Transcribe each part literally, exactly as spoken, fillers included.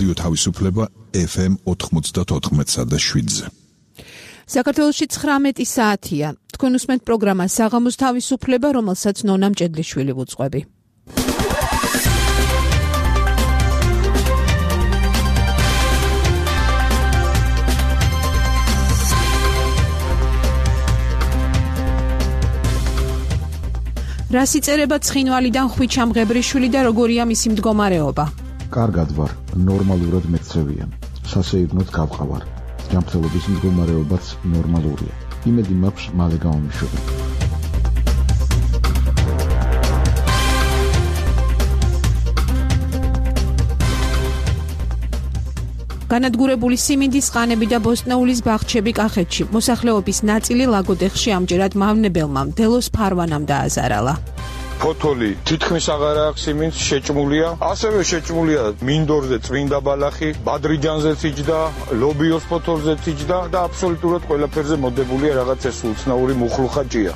რადიო თავისუფლება ეფ ემ ოთხმოცდაოთხ და შვიდზე. საქართველოში ცხრამეტი საათია. თქვენ უსმენთ პროგრამა საღამოს თავისუფლება, რომელსაც ნონა მჭედლიშვილი ვუძღვები. რას იწერება ცხინვალიდან ხვიჩა მღებრიშვილი და როგორია მისი მდგომარეობა? კარგად ვარ, ნორმალურად მეცევიან. სასეირნოდ გავყავარ. ჯანმრთელობის მდგომარეობაც ნორმალურია. იმედი მაქვს მალე გამომიშვება. განადგურებული სიმინდის ყანები და ბოსტნეულის ბაღჩები კახეთში. მოსახლეობის ნაწილი ლაგოდეხში ამჯერად მავნებელმა მდელოს ფარვანამ დააზარალა. ფოთოლი თითქმის აღარ აქვს სიმინდს, შეჭმულია. ასევე შეჭმულია მინდორზე წმინდა ბალახი, ბადრიჯანზეც იჯდა, ლობიოს ფოთოლზეც იჯდა და აბსოლუტურად ყველაფერზე მოდებულია რაღაც ეს უცნაური მუხლუხაჭია.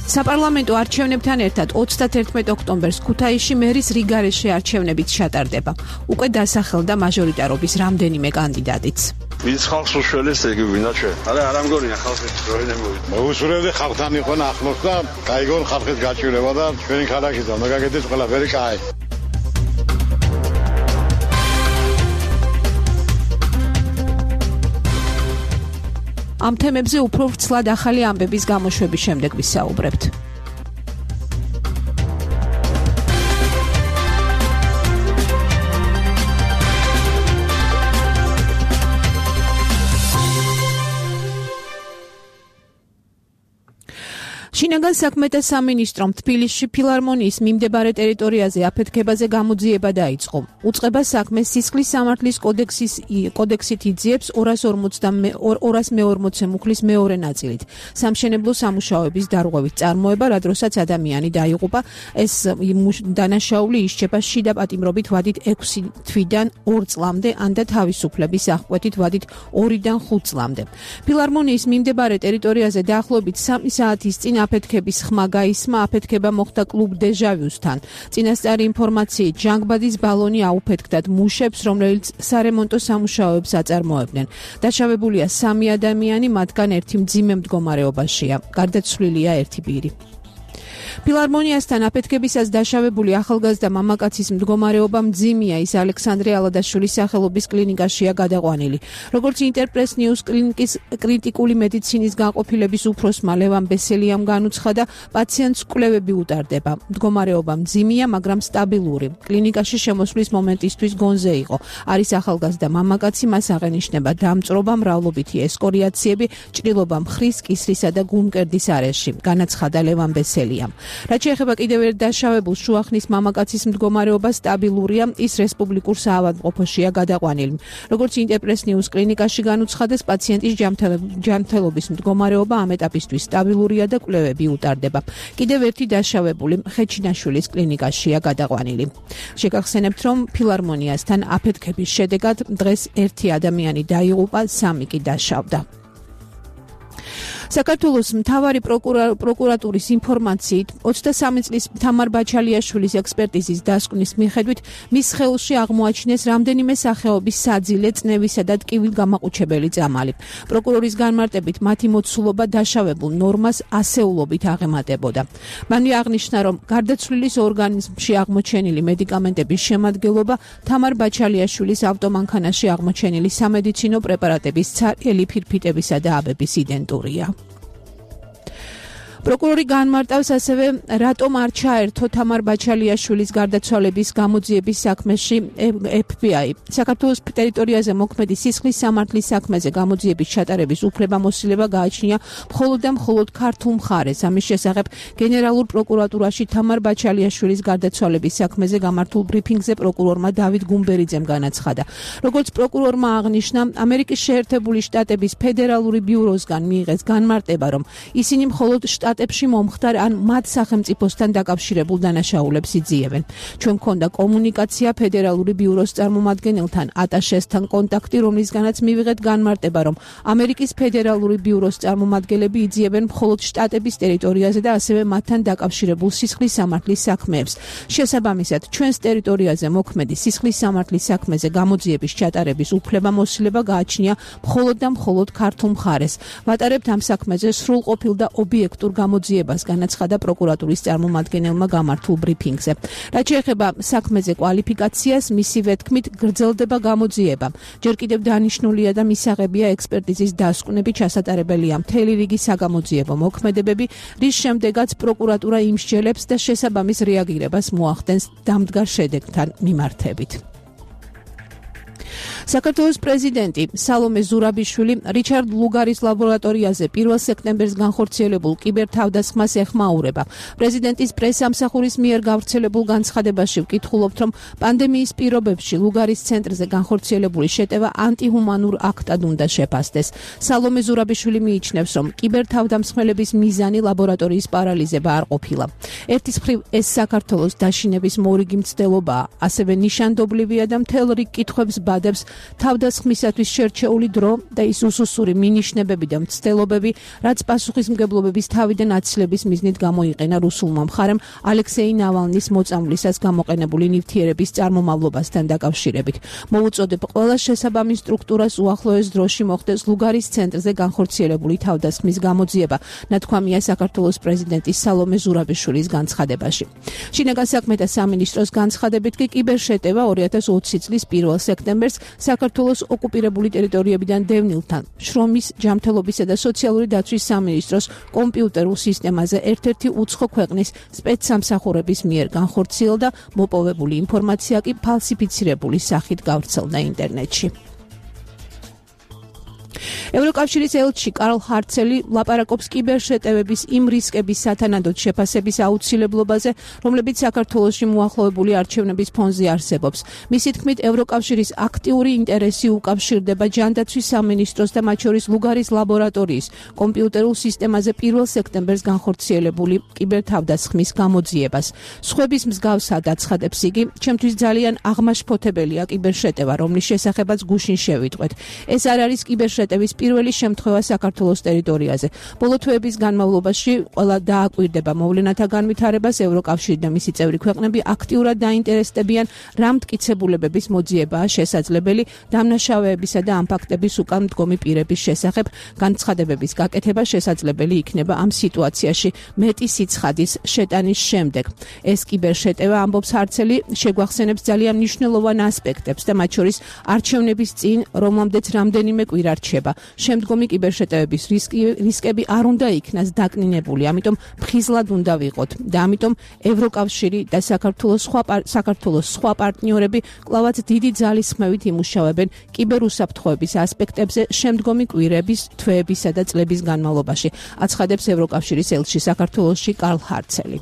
საპარლამენტო არჩევნებთან ერთად ოცდაათერთმეტ ოქტომბერს ქუთაისში მერის რიგარეშე არჩევნებიც ჩატარდება. უკვე დასახელდა მაჟორიტარობის რამდენიმე კანდიდატიც. ვინც ხალხს უშველეს ეგ ვინაჩვე. არა, არ ამგონია ხალხის როინე მოვიდა. მოუსურვებდი ხალხთან იყვნენ ახლოს და გაიგონ ხალხის გაჭირება და ჩვენი ქალაქის და მაგაგეთის ყველაფერი კაი. ამ თემებზე უფრო ვრცლად ახალი ამბების გამოშვების შემდეგ ვისაუბრებთ. შინაგან საქმეთა სამინისტრომ თბილისში ფილარმონიის მიმდებარე ტერიტორიაზე აფეთქებაზე გამოძიება დაიწყო. უწყება საქმეს სისხლის სამართლის კოდექსის კოდექსით იძიებს ორას მეორმოცე მუხლის მეორე ნაწილით. სამშენებლო სამუშაოების დარღვევით წარმოება, რა დროსაც ადამიანი დაიღუპა, ეს დანაშაული ისჩება შიდა პატიმრობით ვადით ექვსი თვიდან ორ წლამდე, ან და თავისუფლების აღკვეთით ვადით ორიდან ხუთ წლამდე. ფილარმონიის მიმდებარე ტერიტორიაზე დაახლოებით სამი საათის წინ აფეთქების ხმა გაისმა. აფეთქება მოხდა კლუბ დეჟავიუსთან. წინასწარი ინფორმაციით ჟანგბადის ბალონი აუფეთქდათ მუშებს, რომლებიც სარემონტო სამუშაოებს აწარმოებდნენ. დაშავებულია სამი ადამიანი, მათგან ერთი მძიმე მდგომარეობაშია. გარდაცვლილია ერთი პირი. ფილარმონიასთან აფეთქებისას დაშავებული ახალგაზრდა მამაკაცის მდგომარეობა მძიმეა, ის ალექსანდრე ალადაშვილის სახელობის კლინიკაშია გადაყვანილი. როგორც ინტერპრეს ნიუს კლინიკის კრიტიკული მედიცინის განყოფილების უფროსმა ლევან ბესელიამ განუცხადა, პაციენტს კვლევები უტარდება. მდგომარეობა მძიმეა, მაგრამ სტაბილური. კლინიკაში შემოსვლის მომენტისთვის გონზე იყო. არის ახალგაზრდა მამაკაცი, მას აღენიშნება დამწრობა, მრავლობითი ესკორიაციები, ჭრილობა მხრის, კისრისა და გულმკერდის არეში, განაცხადა ლევან ბესელიამ. რაც შეეხება კიდევ ერთ დაშავებულს, შუახნის მამაკაცის მდგომარეობა სტაბილურია, ის რესპუბლიკურ საავადმყოფოშია გადაყვანილი. როგორც ინტერპრეს ნიუს კლინიკაში განუცხადეს, პაციენტის ჯანმრთელობის მდგომარეობა ამ ეტაპისთვის სტაბილურია და კვლევები უტარდება. კიდევ ერთი დაშავებული ხეჩინაშვილის კლინიკაშია გადაყვანილი. შეგახსენებთ, რომ ფილარმონიასთან აფეთქების შედეგად დღეს ერთი ადამიანი დაიღუპა, სამი კი დაშავდა. საქართველოს მთავარი პროკურატურის ინფორმაციით ოცდასამი წლის თამარ ბაჩალიაშვილის ექსპერტიზის დასკვნის მიხედვით მის ხელში აღმოაჩინეს რამდენიმე სახეობის საძილე, წნევისა და ტკივილგამაყუჩებელი წამალი. პროკურორის განმარტებით მათი მოცულობა დაშავებულ ნორმას ასეულობით აღემატებოდა. მან აღნიშნა, რომ გარდაცვლილის ორგანიზმში აღმოჩენილი მედიკამენტების შემადგენლობა თამარ ბაჩალიაშვილის ავტომანქანაში აღმოჩენილი სამედიცინო პრეპარატების ცარიელი ფირფიტებისა და აბების იდენტურია. პროკურორი განმარტავს ასევე, რატომ არ ჩაერთო თამარ ბაჩალიაშვილის გარდაცვალების გამოძიების საქმეში ეფ ბი აი. საქართველოს ტერიტორიაზე მოქმედი სისხლის სამართლის საქმეზე გამოძიების ჩატარების უფლებამოსილება გააჩნია მხოლოდ და მხოლოდ ქართულ მხარეს. ამის შესახებ გენერალურ პროკურატურაში თამარ ბაჩალიაშვილის გარდაცვალების საქმეზე გამართულ ბრიფინგზე პროკურორმა დავით გუმბერიძემ განაცხადა. როგორც პროკურორმა აღნიშნა, ამერიკის შეერთებული შტატების ფედერალური ბიუროსგან მიიღეს განმარტება, რომ ისინი მხოლოდ შტატ შტატებში მომხდარ ან მათ სახელმწიფოსთან დაკავშირებულ დანაშაულებს იძიებენ. ჩვენ გქონდა კომუნიკაცია ფედერალური ბიუროს წარმომადგენელთან, ატაშესთან კონტაქტი, რომლისგანაც მივიღეთ განმარტება, რომ ამერიკის ფედერალური ბიუროს წარმომადგენლები იძიებენ მხოლოდ შტატების ტერიტორიაზე და ასევე მათთან დაკავშირებულ სისხლის სამართლის საქმეებს. შესაბამისად, ჩვენს ტერიტორიაზე მოქმედი სისხლის სამართლის საქმეზე გამოძიების ჩატარების უფლებამოსილება გააჩნია მხოლოდ და მხოლოდ ქართულ მხარეს. ვატარებთ ამ საქმეზე სრულყოფილ და ობიექტურ გამოძიებას, განაცხადა პროკურატურის წარმომადგენელმა გამართულ ბრიფინგზე. რაც შეეხება საქმეზე კვალიფიკაციას, მისივე თქმით, გრძელდება გამოძიება. ჯერ კიდევ დანიშნულია და მისაღებია ექსპერტიზის დასკვნები, ჩასატარებელია მთელი რიგი საგამოძიებო მოქმედებები, რის შემდეგაც პროკურატურა იმსჯელებს და შესაბამის რეაგირებას მოახდენს დამდგარ შედეგთან მიმართებით. საქართველოს პრეზიდენტი სალომე ზურაბიშვილი რიჩარდ ლუგარის ლაბორატორიაზე პირველ სექტემბერს განხორციელებულ კიბერთავდასხმას ეხმაურება. პრეზიდენტის პრესამსახურის მიერ გავრცელებულ განცხადებაში ვკითხულობთ, რომ პანდემიის პირობებში ლუგარის ცენტრზე განხორციელებული შეტევა ანტიჰუმანურ აქტად უნდა შეფასდეს. სალომე ზურაბიშვილი მიიჩნევს, რომ კიბერთავდამსხმელების მიზანი ლაბორატორიის პარალიზება არ ყოფილა. ერთის მხრივ ეს საქართველოს დაშინების მორიგი მცდელობაა, ასევე ნიშანდობლივია და მთელ რიგ კითხვებს ბადებს თავდასხმისათვის შერჩეული დრო და ის უსუსური მინიშნებები და მცდელობები, რაც პასუხისმგებლობების თავიდან აცილების მიზნით გამოიყენა რუსულმა მხარემ ალექსეი ნავალნის მოწამვლისას გამოყენებული ნივთიერების წარმომავლობასთან დაკავშირებით. მოვუწოდებ ყველა შესაბამის სტრუქტურას უახლოეს დროში მოხდეს ლუგარის ცენტრზე განხორციელებული თავდასხმის გამოძიება, ნათქვამია საქართველოს პრეზიდენტის სალომე ზურაბიშვილის განცხადებაში. შინაგან საქმეთა სამინისტროს განცხადებით კი კიბერშეტევა ორი ათას ოცი წლის პირველ სექტემბერს საქართველოს ოკუპირებული ტერიტორიებიდან დევნილთან შრომის, ჯანმრთელობისა და სოციალური დაცვის სამინისტროს კომპიუტერულ სისტემაზე ერთ-ერთი უცხო ქვეყნის სპეცსამსახურების მიერ განხორციელდა, მოპოვებული ინფორმაცია კი ფალსიფიცირებული სახით გავრცელდა ინტერნეტში. ევროკავშირის ელჩი კარლ ჰარცელი ლაპარაკობს კიბერშეტევების იმ რისკების სათანადოდ შეფასების აუცილებლობაზე, რომლებიც საქართველოში მოახლოებული არჩევნების ფონზე არსებობს. მისი თქმით, ევროკავშირის აქტიური ინტერესი უკავშირდება ჯანდაცვის სამინისტროს და მათ შორის ლუგარის ლაბორატორიის კომპიუტერულ სისტემაზე პირველ სექტემბერს განხორციელებული კიბერთავდასხმის გამოძიებას. სხვების მსგავსად აცხადებს იგი, ჩემთვის ძალიან აღმაშფოთებელია კიბერშეტევა, რომლის შესახებაც გუშინ შევიტყვეთ. ეს არ არის კიბერშეტევის პირველი შემთხვევა საქართველოს ტერიტორიაზე. ბოლო თვეების განმავლობაში ყველა დააკვირდება მოვლენათა განვითარებას, ევროკავშირი და მისი წევრი ქვეყნები აქტიურად დაინტერესდებიან, რა მტკიცებულებების მოძიებაა შესაძლებელი დამნაშავეებისა და ამ ფაქტების უკან მდგომი პირების შესახებ. განცხადებების გაკეთება შესაძლებელი იქნება ამ სიტუაციაში მეტი სიცხადის შეტანის შემდეგ. ეს კიბერშეტევა, ამბობს ჰარცელი, შეგვახსენებს ძალიან მნიშვნელოვან ასპექტებს და მათ შორის არჩევნების წინ, რომლამდეც რამდენიმე კვირა რჩება. შემდგომი კიბერშეტევების რისკი, რისკები არ უნდა იქნას დაკნინებული, ამიტომ ფხიზლად უნდა ვიყოთ და ამიტომ ევროკავშირი და საქართველოს სხვა საქართველოს სხვა პარტნიორები კვლავაც დიდი ძალისხმევით იმუშავებენ კიბერუსაფრთხოების ასპექტებზე შემდგომი კვირების, თვეებისა და წლების განმავლობაში, აცხადებს ევროკავშირის ელჩი საქართველოში კარლ ჰარცელი.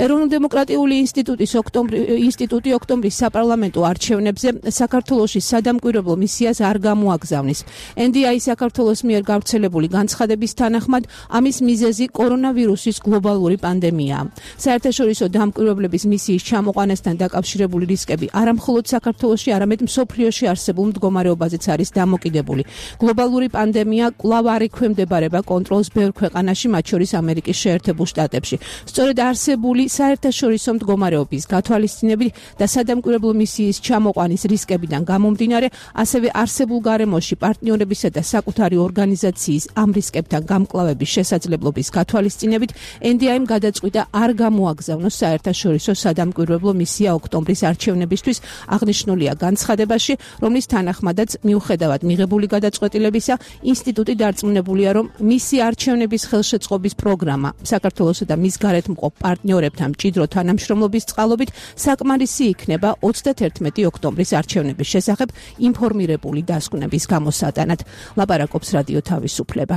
ეროვნულ-დემოკრატიული ინსტიტუტის ოქტომბრი ინსტიტუტი ოქტომბრის საპარლამენტო არჩევნებზე საქართველოში სადამკვირვებლო მისიას არ გამოაგზავნის. ენ დი აი საქართველოს მიერ გავრცელებული განცხადების თანახმად, ამის მიზეზი კორონავირუსის გლობალური პანდემიაა. საერთაშორისო დამკვირვებლების მისიის ჩამოყვანასთან დაკავშირებული რისკები არა მხოლოდ საქართველოში, არამედ მსოფლიოში არსებულ მდგომარეობაზეც არის დამოკიდებული. გლობალური პანდემია კვლავ არ ექვემდებარება კონტროლს ბევრ ქვეყანაში, მათ შორის ამერიკის შეერთებულ შტატებში. სწორედ არს საერთაშორისო მდგომარეობის გათვალისწინებით და სადამკვირვებლო მისიის ჩამოყვანის რისკებიდან გამომდინარე, ასევე არსებულ გარემოში პარტნიორებისა და საკუთარი ორგანიზაციის ამ რისკებთან გამკლავების შესაძლებლობის გათვალისწინებით, ენ დი აიმ გადაწყვიტა არ გამოაგზავნოს საერთაშორისო სადამკვირვებლო მისია ოქტომბრის არჩევნებისთვის, აღნიშნულია განცხადებაში, რომლის თანახმადაც მიუხედავად მიღებული გადაწყვეტილებისა, ინსტიტუტი დარწმუნებულია, რომ მისი არჩევნების ხელშეწყობის პროგრამა საქართველოსა და მის გარეთ მყოფ პარტნიორებთან მჭიდრო თანამშრომლობის წყალობით საკმარისი იქნება ოცდაათერთმეტი ოქტომბრის არჩევნების შესახებ ინფორმირებული დასკვნების გამოსატანად. ლაპარაკობს რადიო თავისუფლება.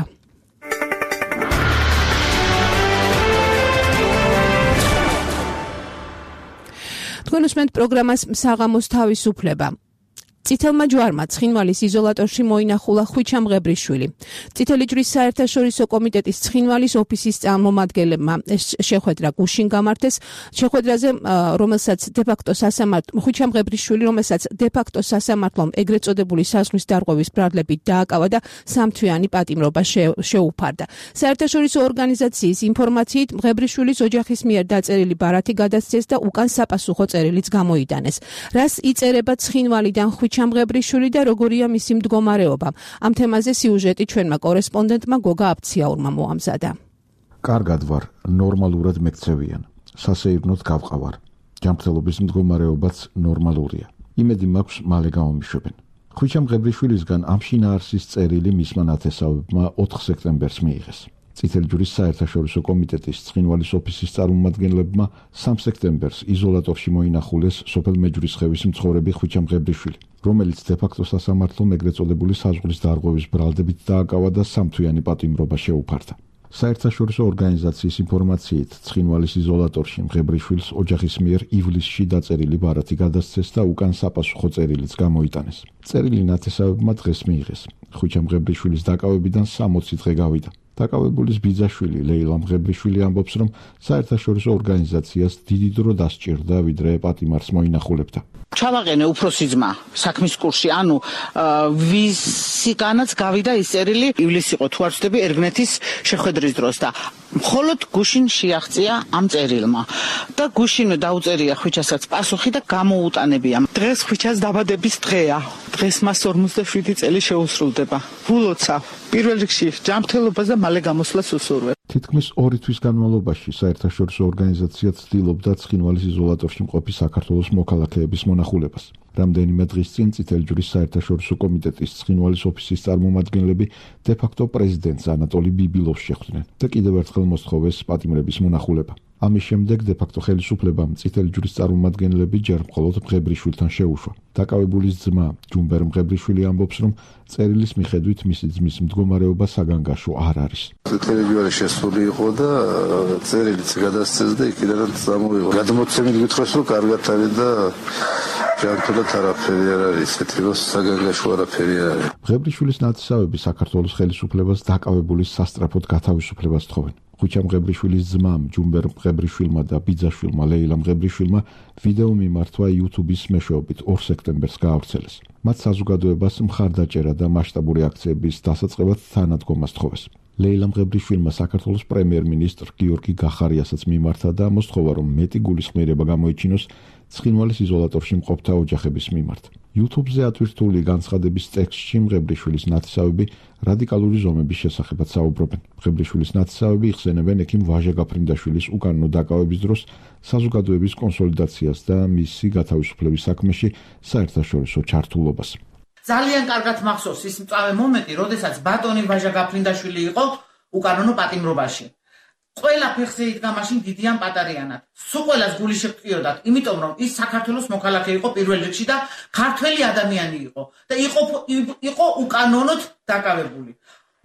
თქვენ უსმენთ პროგრამას საღამოს თავისუფლება. წითელმა ჯვარმა ცხინვალის იზოლატორში მოინახულა ხვიჩა მღებრიშვილი. წითელი ჯვრის საერთაშორისო კომიტეტის ცხინვალის ოფისის წარმომადგენლებმა ეს შეხვედრა გუშინ გამართეს. შეხვედრაზე, რომელსაც დე-ფაქტო სასამართლო ხვიჩა მღებრიშვილი, რომელსაც დე-ფაქტო სასამართლომ ეგრეთ წოდებული საზღვრის დარღვევის ბრალდებით დააკავა და სამთვიანი პატიმრობა შეუფარდა. საერთაშორისო ორგანიზაციის ინფორმაციით მღებრიშვილის ოჯახის მიერ დაწერილი ბარათი გადასცეს და უკან საპასუხო წერილიც გამოიტანეს. რას იწერება ცხინვალიდან ხვიჩა მღებრიშვილი და როგორია მისი მდგომარეობა? ამ თემაზე სიუჟეტი ჩვენმა კორესპონდენტმა გოგა აბციაურმა მოამზადა. კარგად ვარ, ნორმალურად მექცევიან. სასეირნოდ გავყავარ. ჯანმრთელობის მდგომარეობაც ნორმალურია. იმედი მაქვს მალე გამომიშვებენ. ხვიჩა მღებრიშვილისგან ამ შინაარსის წერილი მისმა ნათესავებმა ოთხ სექტემბერს მიიღეს. წითელი ჯვრის საერთაშორისო კომიტეტის ცხინვალის ოფისის წარმომადგენლებმა სამ სექტემბერს იზოლატორში მოინახულეს სოფელ მეჯვრისხევის მცხოვრები ხვიჩა მღებრიშვილი, რომელიც დე-ფაქტო სასამართლომ ეგრეთ წოდებული საზღვრის დარღვევის ბრალდებით დააკავა და სამთვიანი პატიმრობა შეუფარდა. საერთაშორისო ორგანიზაციის ინფორმაციით, ცხინვალის იზოლატორში მღებრიშვილს ოჯახის მიერ ივლისში დაწერილი ბარათი გადასცეს და უკან საპასუხო წერილიც გამოიტანეს. წერილი ნათესავებმა დღეს მიიღეს. ხვიჩა მღებრიშვილის დაკავებიდან სამოცი დღე გავიდა. დაკავებულის ბიძაშვილი ლეილა მღებრიშვილი ამბობს, რომ საერთაშორისო ორგანიზაციას დიდი დრო დასჭირდა, ვიდრე პატიმარს მოინახულებდა. ჩავაყენე უფროსი ძმა საქმის კურსში, ანუ ვისგანაც გავიდა ის წერილი, ივლისი იყო თუ არ ვცდები ერგნეთის შეხვედრის დროს და მხოლოდ გუშინ შეაღწია ამ წერილმა და გუშინ დაუწერია ხვიჩასაც პასუხი და გამოუტანებია. დღეს ხვიჩას დაბადების დღეა. დღეს მას ორმოცდაშვიდი წელი შეუსრულდება. ვულოცავ პირველ რიგში ჯანმრთელობას და მალე გამოსვლას უსურვებ. თითქმის ორი თვის განმავლობაში საერთაშორისო ორგანიზაცია ცდილობდა ცხინვალის იზოლატორში მყოფი საქართველოს მოქალაქეების მონახულებას. რამდენიმე დღის წინ წითელი ჯვრის საერთაშორისო კომიტეტის ცხინვალის ოფისის წარმომადგენლები დე-ფაქტო პრეზიდენტს ანატოლი ბიბილოვს შეხვდნენ და კიდევ ერთხელ მოსთხოვეს პატიმრების მონახულება. ამის შემდეგ დე-ფაქტო ხელისუფლებამ წითელი ჯვრის წარმომადგენლები ჯერ მხოლოდ მღებრიშვილთან შეუშვა. დაკავებულის ძმა ჯუმბერ მღებრიშვილი ამბობს, რომ წერილის მიხედვით მისი ძმის მდგომარეობა საგანგაშო არ არის. წითელი ჯვარი შესული იყო და წერილიც გადასცეს და იქიდან წამოვიღო. გადმოცემით გითხრას, რომ კარგად არის და ჯანმრთელად არაფერი არ არის, ისეთი რომ საგანგაშო არაფერი არ არის. მღებრიშვილის ნათესავები საქართველოს ხელისუფლებას დაკავებულის სასწრაფოდ გათავისუფლებას თხოვენ. ხვიჩა მღებრიშვილის ძმამ ჯუმბერ მღებრიშვილმა და ბიძაშვილმა ლეილა მღებრიშვილმა ვიდეო მიმართვა YouTube-ის მეშვეობით ორ სექტემბერს გაავრცელეს. მათ საზოგადოებას მხარდაჭერა და მასშტაბური აქციების დასაწყებად თანადგომას თხოვეს. ლეილა მღებრიშვილმა საქართველოს პრემიერ-მინისტრ გიორგი გახარიასაც მიმართა და მოსთხოვა, რომ მეტი გულისხმიერება გამოიჩინოს ცხინვალის იზოლატორში მყოფთა ოჯახების მიმართ. YouTube-ზე ატვირთული განცხადების ტექსტში მღებრიშვილის ნათესავები რადიკალური ზომების შესახებაც საუბრობენ. მღებრიშვილის ნათესავები იხსენებენ ექიმ ვაჟა გაფრინდაშვილის უკანონო დაკავების დროს საზოგადოების კონსოლიდაციას და მისი გათავისუფლების საქმეში საერთაშორისო ჩართულობას. ძალიან კარგად მახსოვს ის მწვავე მომენტი, როდესაც ბატონი ვაჟა გაფრინდაშვილი იყო უკანონო პატიმრობაში. ყველა ფეხზე იდგა მაშინ დიდიან პატარიანად. სულ ყველას გული შეგვწიოდათ, იმიტომ რომ ის საქართველოს მოქალაქე იყო პირველ რიგში და ქართველი ადამიანი იყო და იყო იყო უკანონოდ დაკავებული.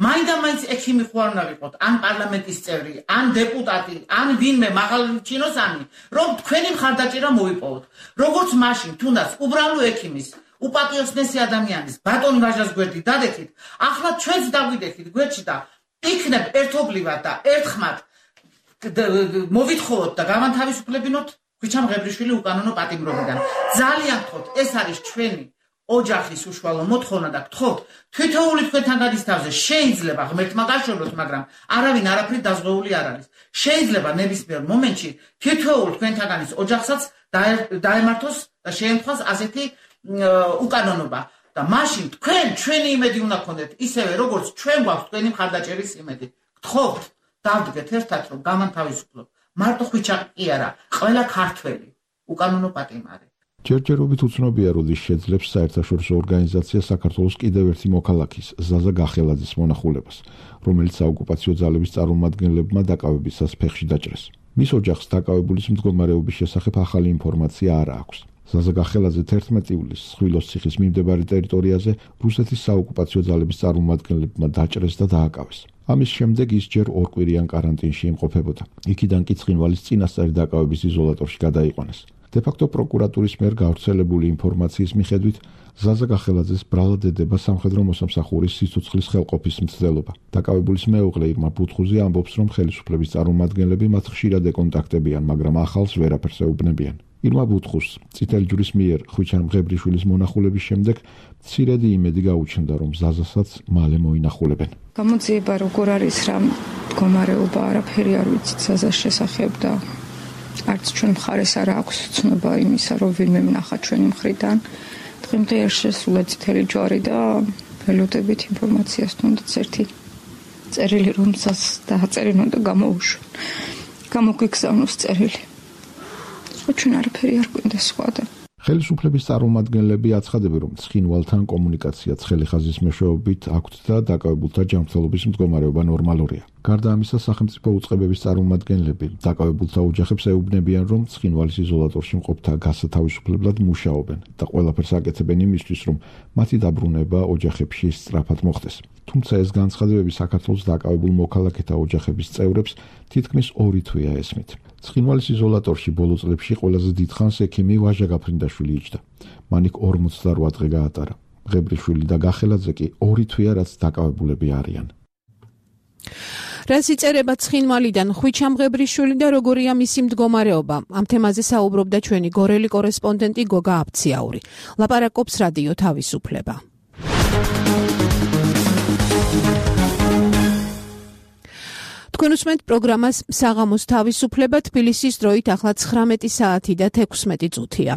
მაინდა-მაინც ექიმი ხო არ უნდა ვიყოთ, ან პარლამენტის წევრი, ან დეპუტატი, ან ვინმე მაღალ ჩინოსანი, რომ თქვენი მხარდაჭერა მოიპოვოთ. როგორც მაშინ, თუნდაც უბრალო ექიმის, უპატიოსნესი ადამიანის, ბატონი ვაჟას გვერდით დადექით, ახლა ჩვენც დაგვიდექით გვერდში და იქნებ ერთობლივად და ერთხმად მოვითხოვოთ და გამანთავისუფლებინოთ ხვიჩა მღებრიშვილი უკანონო პატიმრობიდან. ძალიან გთხოვთ, ეს არის ჩვენი ოჯახის უშუალო მოთხოვნა და გთხოვთ, თითოეული თქვენთან გადის თავზე, შეიძლება ღმერთმა გაშოროთ, მაგრამ არავინ არაფრით დაზღვეული არ არის. შეიძლება ნებისმიერ მომენტში თითოეულ თქვენთაგანის ოჯახსაც დაემართოს და შეემთხვას ასეთი უკანონობა. და მაშინ თქვენ ჩვენი იმედი უნდა გქონდეთ, ისევე როგორც ჩვენ გვაქვს თქვენი მხარდაჭერის იმედი. გთხოვთ, დავდგეთ ერთად, რომ გამანთავისუფლოთ. მარტო ხვიჩა კი არა, ყველა ქართველი უკანონო პატიმარი. ჯერჯერობით უცნობია, როდის შეძლებს საერთაშორისო ორგანიზაცია საქართველოს კიდევ ერთი მოქალაქის, ზაზა გახელაძის მონახულებას, რომელიც საოკუპაციო ძალების წარმომადგენლებმა დაკავებისას ფეხში დაჭრეს. მის ოჯახს დაკავებულის მდგომარეობის შესახებ ახალი ინფორმაცია არ აქვს. ზაზა გახელაძე თერთმეტი ივლისს ხვილოს ციხის მიმდებარე ტერიტორიაზე რუსეთის საოკუპაციო ძალების წარმომადგენლებმა დაჭრეს და დააკავეს. ამის შემდეგ ის ჯერ ორკვირიან კარანტინში იმყოფებოდა. იქიდან კი ცხინვალის წინასწარი დაკავების იზოლატორში გადაიყვანეს. დე-ფაქტო პროკურატურის მიერ გავრცელებული ინფორმაციის მიხედვით ზაზა გახელაძეს ბრალად ედება სამხედრო მოსამსახურის სიცოცხლის ხელყოფის მცდელობა. დაკავებულის მეუღლე ირმა ბუთხუზი ამბობს, რომ ხელისუფლების წარმომადგენლები მათ ხშირად ეკონტაქტებიან, მაგრამ ახალს ვერაფერს ეუბნებიან. ირმა ბუთხუზს წითელი ჯვრის მიერ ხვიჩან მღებრიშვილის მონახულების შემდეგ მცირედი იმედი გაუჩნდა, რომ ზაზასაც მალე მოინახულებენ. გამოძიება როგორ არის რა მდგომარეობა არაფერი არ ვიცით ზაზას შესახებ და არც ჩვენ მხარეს არ აქვს ცნობა იმისა, რომ ვინმე ვნახა ჩვენი მხრიდან. დღემდე არ შესულა წითელი ჯვარი და ველოდებით ინფორმაციას თუნდაც ერთი წერილი რომელსაც დააწერინო და გამოუშვენ. გამოგვიგზავნოს წერილი. სხვა ჩვენ არაფერი არ გვინდა სხვა და ხელისუფლების წარმომადგენლები აცხადებენ, რომ ცხინვალთან კომუნიკაცია ცხელი ხაზის მეშვეობით აქვთ და დაკავებულთა ჯანმრთელობის მდგომარეობა ნორმალურია. გარდა ამისა, სახელმწიფო უწყებების წარმომადგენლები დაკავებულთა ოჯახებს ეუბნებიან, რომ ცხინვალის იზოლატორში მყოფთა გასათავისუფლებლად მუშაობენ და ყველაფერს აკეთებენ იმისთვის, რომ მათი დაბრუნება ოჯახებში სწრაფად მოხდეს. თუმცა ეს განცხადებები საქართველოს დაკავებულ მოქალაქეთა ოჯახების წევრებს თითქმის ორი თვეა ესმით. ცხინვალის იზოლატორში ბოლო წლებში ყველაზე დიდხანს ექიმი ვაჟა გაფრინდაშვილი იჯდა. მან იქ ორმოცდარვა დღე გაატარა. მღებრიშვილი და გახელაძე კი ორი თვეა რაც დაკავებულები არიან. რას იწერება ცხინვალიდან ხვიჩა მღებრიშვილი და როგორია მისი მდგომარეობა? ამ თემაზე საუბრობდა ჩვენი გორელი კორესპონდენტი გოგა აბციაური. ლაპარაკობს რადიო თავისუფლება. თქვენ უსმენთ პროგრამას საღამოს თავისუფლება, თბილისის დროით ახლა ცხრამეტი საათი და თექვსმეტი წუთია.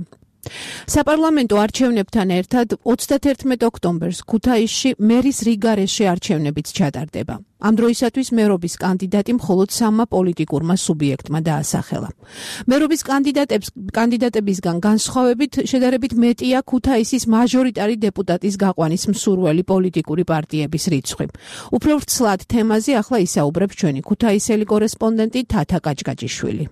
საპარლამენტო არჩევნებთან ერთად ოცდათერთმეტ ოქტომბერს ქუთაისში მერის რიგარეშე არჩევნებიც ჩატარდება. ამ დროისათვის მერობის კანდიდატი მხოლოდ სამმა პოლიტიკურმა სუბიექტმა დაასახელა. მერობის კანდიდატებს კანდიდატებისგან განსხვავებით შედარებით მეტია ქუთაისის მაჟორიტარი დეპუტატის გაყვანის მსურველი პოლიტიკური პარტიების რიცხვი. უფრო ვრცლად თემაზე ახლა ისაუბრებს ჩვენი ქუთაისელი კორესპონდენტი თათა კაჭკაჭიშვილი.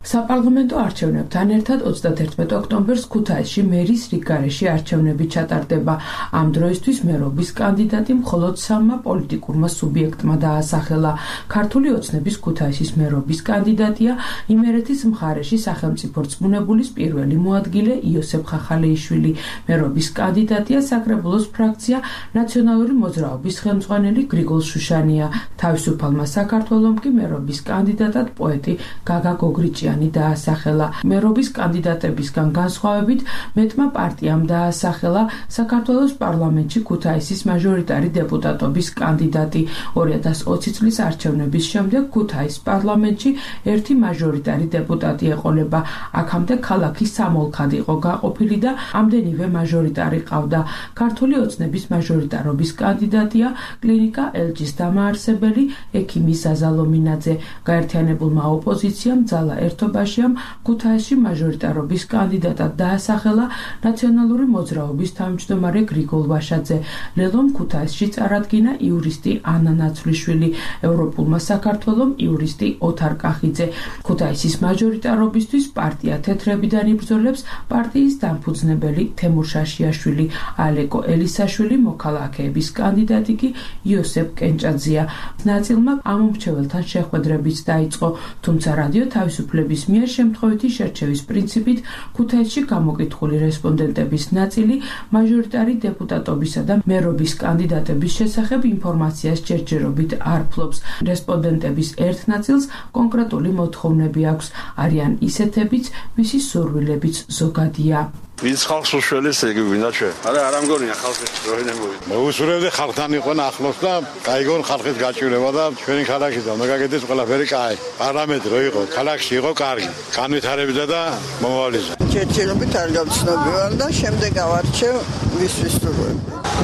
საპარლამენტო არჩევნებთან ერთად ოცდათერთმეტ ოქტომბერს ქუთაისში მერის რიგარეშე არჩევნები ჩატარდება. ამ დროისთვის მერობის კანდიდატი მხოლოდ სამმა პოლიტიკურმა სუბიექტმა დაასახელა. ქართული ოცნების ქუთაისის მერობის კანდიდატია იმერეთის მხარეში სახელმწიფო რწმუნებულის პირველი მოადგილე იოსებ ხახალეიშვილი. მერობის კანდიდატია საკრებულოს ფრაქცია ნაციონალური მოძრაობის ხელმძღვანელი გრიგოლ შუშანია. თავისუფალმა საქართველომ კი მერობის კანდიდატად პოეტი გაგა გოგრიჭია დაასახელა. მერობის კანდიდატებისგან განსხვავებით მეტმა პარტიამ დაასახელა საქართველოს პარლამენტში ქუთაისის მაჟორიტარი დეპუტატობის კანდიდატი. ორი ათას ოცი წლის არჩევნების შემდეგ ქუთაის პარლამენტში ერთი მაჟორიტარი დეპუტატი ეყოლება. აქამდე ქალაქი სამოლქად იყო გაყოფილი და ამდენივე მაჟორიტარი ყავდა. ქართული ოცნების მაჟორიტარობის კანდიდატია კლინიკა ელჯის დამაარსებელი ექიმი ზაზა ლომინაძე. გაერთიანებულმა ოპოზიციამ ძალა ერთობაშიამ ქუთაისში მაჟორიტარობის კანდიდატად დაასახელა ნაციონალური მოძრაობის თავმჯდომარე გრიგოლ ვაშაძე. ლელომ ქუთაისში წარადგინა იურისტი ანა ნაცვლიშვილი, ევროპულმა საქართველომ იურისტი ოთარ კახიძე. ქუთაისის მაჟორიტარობისთვის პარტია თეთრებიდან იბრძოლებს პარტიის დამფუძნებელი თემურ შაშიაშვილი, ალეკო ელისაშვილი, მოქალაქეების კანდიდატი კი იოსებ კენჭაძეა. ნაწილმა ამომრჩეველთან შეხვედრებიც დაიწყო, თუმცა რადიო თავისუფლების მიერ შემთხვევითი შერჩევის პრინციპით ქუთაისში გამოკითხული რესპონდენტების ნაწილი მაჟორიტარი დეპუტატობისა და მერობის კანდიდატების შესახებ ინფორმაციას ჯერჯერობით არ ფლობს. რესპონდენტების ერთ ნაწილს კონკრეტული მოთხოვნები აქვს, არიან ისეთებიც, მისი სურვილებიც ზოგადია. ვინც ხალხს უშველეს ეგ ვინა ჩვენ. არა, არ ამგონია ხალხი როინე მოვიდა. მოუსურვებდი ხალხთან იყვენ ახლოს და გაიგონ ხალხის გაჭირება და ჩვენი ქალაქიდან მოგაგეთეს ყველაფერი კაი. პარლამენტი რო იყო, ქალაქში იყო კარგი. განვითარებდა და მომავლიზა. ჯერჯერობით არ გავცნობივარ და შემდეგ ავარჩევ ვისთვის სურვილი.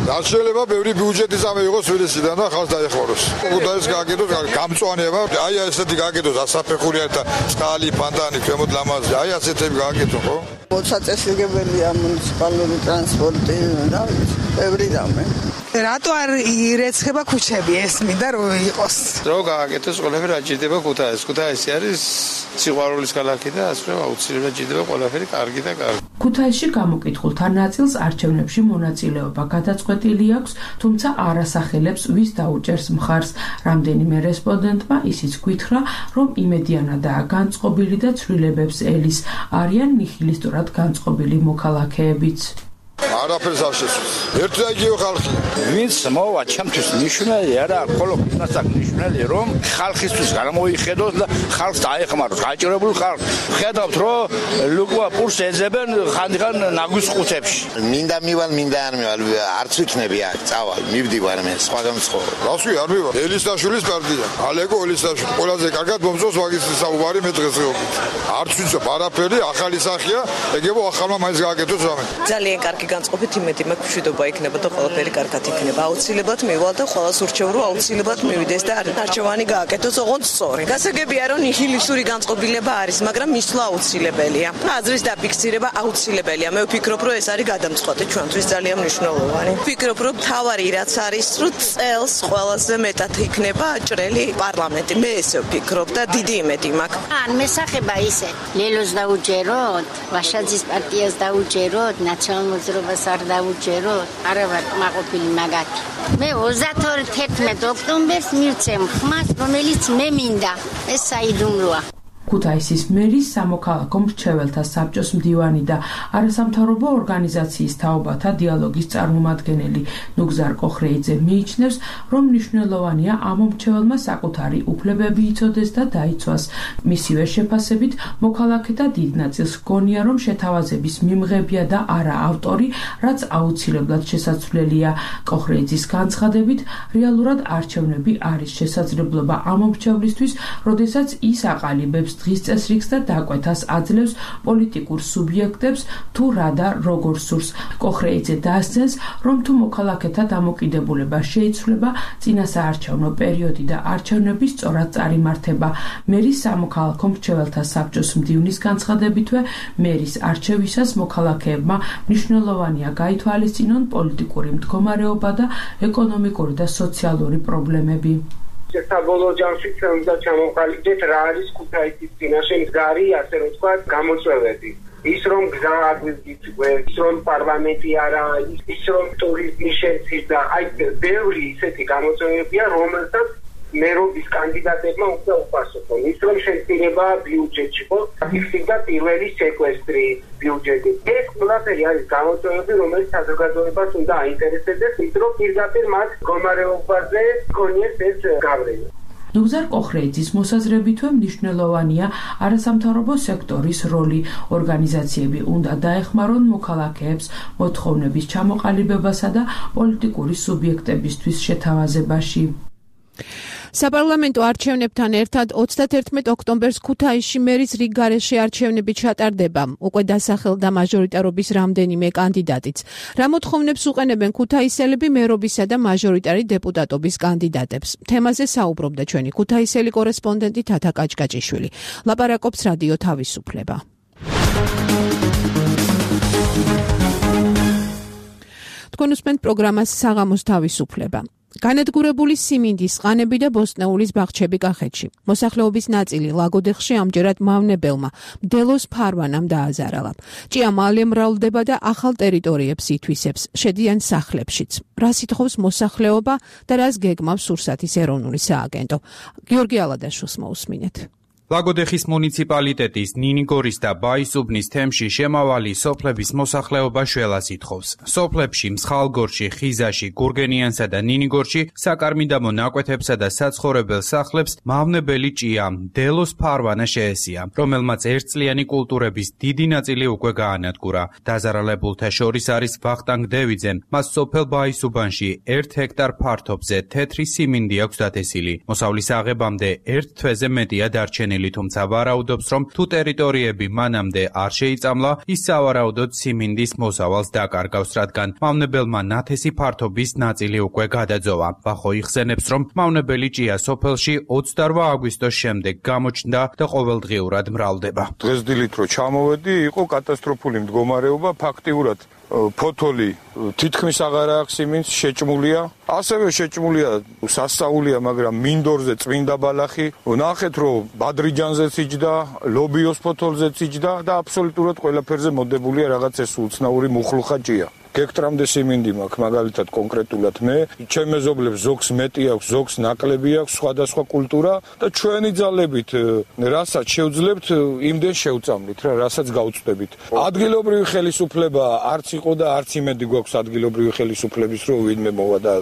დასრულება ბევრი ბიუჯეტის ამეიღოს თბილისიდან და ხალხს დაეხმაროს. ქუთაისს გააკეთოს გამწვანება, აი ესეთი გააკეთოს ასაფეხურია და წყალი, ფანტანი, ქვემოთ ლამაზი. აი ასეთები გააკეთო, ხო? მოწაწესრიგებელია მუნიციპალური ტრანსპორტი და ბევრი რამე. რატო არ ირეცხება ქუჩები ესმიდა რომ იყოს? რო გააკეთოს ყველაფერი აჭირდება ქუთაისს. ქუთაისი არის სიყვარულის ქალაქი და ასე აუცილებლად ჭირდება ყველაფერი კარგი და კარგი. ქუთაისში გამოკითხულთა ნაწილს არჩევნებში მონაწილეობა გადაწყვეტილი აქვს, თუმცა არ ასახელებს ვის დაუჭერს მხარს. რამდენიმე რესპონდენტმა ისიც გითხრა, რომ იმედიანადაა განწყობილი და ცვლილებებს ელის, არიან ნიჰილისტურად განწყობილი მოქალაქეებიც. არაფერს არ შესწევს. ერთი და იგივე ხალხი. ვინც მოვა ჩემთვის ნიშნელი არა, ხოლო იმასაც ნიშნელი რომ ხალხისთვის გამოიხედოს და ხალხს დაეხმაროს, გაჭირებულ ხალხს. ხედავთ რომ ლუკვა პურს ეძებენ ხანდახან ნაგვის ყუთებში. მინდა მივალ, მინდა არ მივალ, არც ვიქნები აქ, წავალ, მივდივარ მე, სხვა გამცხოვრო. რასვი არ მივალ. ელისაშვილის პარტია. ალეგო ელისაშვილი. ყველაზე კარგად მომწონს მაგისტრის საუბარი მე დღესდღეობით. არც ვიცი, არაფერი ახალი სახეა, ეგებო ახალმა მაინც გააკეთოს რამე. ძალიან კარგი განწყობით იმედი მაქვს მშვიდობა იქნება და ყველაფერი კარგად იქნება. აუცილებლად მივალ და ყველას ურჩევ რომ აუცილებლად მივიდეს და არჩევანი გააკეთოს ოღონდ სწორი. გასაგებია რომ ნიჰილისტური განწყობილება არის, მაგრამ მისვლა აუცილებელია. აზრის დაფიქსირება აუცილებელია. მე ვფიქრობ რომ ეს არის გადამწყვეტი ჩვენთვის ძალიან მნიშვნელოვანი. ვფიქრობ რომ თავარი რაც არის, რომ წელს ყველაზე მეტად იქნება აჭრელი პარლამენტი. მე ესე ვფიქრობ და დიდი იმედი მაქვს. ან მესახება ისე ლელოს დაუჯეროთ, ვაშაძის პარტიას დაუჯეროთ, ნაციონალურ მოძრაობას არ დაუჯეროთ, არა ვარ მაყოფილი მაგათი. მე ოცდაორი თერთმეტი ოქტომბერს მივცემ ხმას, რომელიც მე მინდა. ეს საიდუმლოა. ქუთაისის მერის სამოქალაქო მრჩეველთა საბჭოს მდივანი და არასამთავრობო ორგანიზაციის თაობათა დიალოგის წარმომადგენელი ნუგზარ კოხრეიძე მიიჩნევს, რომ მნიშვნელოვანია ამ მრჩეველმა საკუთარი უფლებები იცოდეს და დაიცვას. მისივე შეფასებით, მოქალაქეთა დიდ ნაწილს გონია, რომ შეთავაზების მიმღებია და არა ავტორი, რაც აუცილებლად შესაძლებელია. კოხრეიძის განცხადებით, რეალურად არჩევნები არის შესაძლებლობა ამ მრჩევლისთვის, როდესაც ის აყალიბებს დღის წესრიგს და დაკვეთას აძლევს პოლიტიკურ სუბიექტებს თუ რა და როგორ სურს. კოხრეიძე დაასცენს, რომ თუ მოქალაქეთა დამოკიდებულება შეიცვლება, წინასაარჩევნო პერიოდი და არჩევნები სწორად წარიმართება. მერის სამოქალაქო მრჩეველთა საბჭოს მდივნის განცხადებითვე, მერის არჩევისას მოქალაქეებმა მნიშვნელოვანია გაითვალისწინონ პოლიტიკური მდგომარეობა და ეკონომიკური და სოციალური პრობლემები. საბოლოო ჯამში უნდა ჩამოყალიბდეთ რა არის ქუთაისის წინაშე მდგარი, ასე რომ თქვა, გამოწვევები. ის რომ გზა აგვიგვიწყდეს, ის რომ პარლამენტი არა, ის რომ ტურიზმი შეცვლა, აი ბევრი ისეთი გამოწვევებია, რომელსაც მერობის კანდიდატებმა უნდა უპასუხონ. ის რომ შეცვლება ბიუჯეტში, ხო? ფიქსირდა პირველი სეკვესტრი ბიუჯეტი. ეს ყველაფერი არის გამოწვევები, რომელიც საზოგადოებას უნდა აინტერესებდეს, ის რომ პირდაპირ მათ მდგომარეობაზე გქონიეს ეს გავლენა. ნუგზარ კოხრეიძის მოსაზრებითვე მნიშვნელოვანია არასამთავრობო სექტორის როლი. ორგანიზაციები უნდა დაეხმარონ მოქალაქეებს მოთხოვნების ჩამოყალიბებასა და პოლიტიკური სუბიექტებისთვის შეთავაზებაში. საპარლამენტო არჩევნებთან ერთად ოცდათერთმეტი ოქტომბერს ქუთაისში მერის რიგ გარეშე არჩევნები ჩატარდება. უკვე დასახელდა მაჟორიტარობის რამდენიმე კანდიდატიც. რა მოთხოვნებს უყენებენ ქუთაისელები მერობისა და მაჟორიტარი დეპუტატობის კანდიდატებს? თემაზე საუბრობდა ჩვენი ქუთაისელი კორესპონდენტი თათა კაჭკაჭიშვილი. ლაპარაკობს რადიო თავისუფლება. თქვენ უსმენთ პროგრამას საღამოს თავისუფლება. განადგურებული სიმინდის, ყანები და ბოსტნეულის ბაღჩები კახეთში. მოსახლეობის ნაწილი ლაგოდეხში ამჯერად მავნებელმა მდელოს ფარვანამ დააზარალა. ჭია მალე მრავლდება და ახალ ტერიტორიებს ითვისებს, შედიან სახლებშიც. რას ითხოვს მოსახლეობა და რას გეგმავს სურსათის ეროვნული სააგენტო? გიორგი ალადაშვილს მოусმინეთ. ლაგოდეხის მუნიციპალიტეტის ნინიგორის და ბაისუბნის თემში შემავალი სოფლების მოსახლეობა შველას ითხოვს. სოფლებში მსხალგორში, ხიზაში, გურგენიანსა და ნინიგორში საკარმიდამო ნაკვეთებსა და საცხოვრებელ სახლებს მავნებელი ჭია მდელოს ფარვანა შეესია, რომელმაც ერთწლიანი კულტურების დიდი ნაწილი უკვე გაანადგურა. დაზარალებულთა შორის არის ვახტანგ დევიძე, მას სოფელ ბაისუბანში ერთ ჰექტარ ფართობზე თეთრი სიმინდი აქვს დათესილი. მოსავლის აღებამდე ერთ თვეზე მეტია დარჩენილი. თუმცა ვარაუდობს, რომ თუ ტერიტორიები მანამდე არ შეიწამლა, ის სავარაუდოდ სიმინდის მოსავალს დაკარგავს, რადგან მავნებელმა ნათესი ფართობის ნაწილი უკვე გადაძოვა. ვახო იხსენებს, რომ მავნებელი ჭია სოფელში ოცდაორ აგვისტოს შემდეგ გამოჩნდა და ყოველდღიურად მრავლდება. დღესდილით რო ჩამოვედი, იყო კატასტროფული მდგომარეობა, ფაქტიურად ფოთოლი თითქმის აღარ აქვს სიმინდს, შეჭმულია. ასევე შეჭმულია სასწაულია, მაგრამ მინდორზე წმინდა ბალახი. ნახეთ, რომ ბადრიჯანზეც იჯდა, ლობიოს ფოთოლზეც იჯდა და აბსოლუტურად ყველაფერზე მოდებულია რაღაც ეს უცნაური მუხლუხა ჭია. გექტრამდე სიმინდი მაქვს მაგალითად კონკრეტულად მე, ჩემ მეზობლებს ზოგს მეტი აქვს, ზოგს ნაკლები აქვს სხვადასხვა კულტურა და ჩვენი ძალებით რასაც შევძლებთ, იმდენ შევწამლით რა, რასაც გავწვდებით. ადგილობრივი ხელისუფლება არც იყო და არც იმედი გვაქვს ადგილობრივი ხელისუფლების რომ ვინმე მოვა და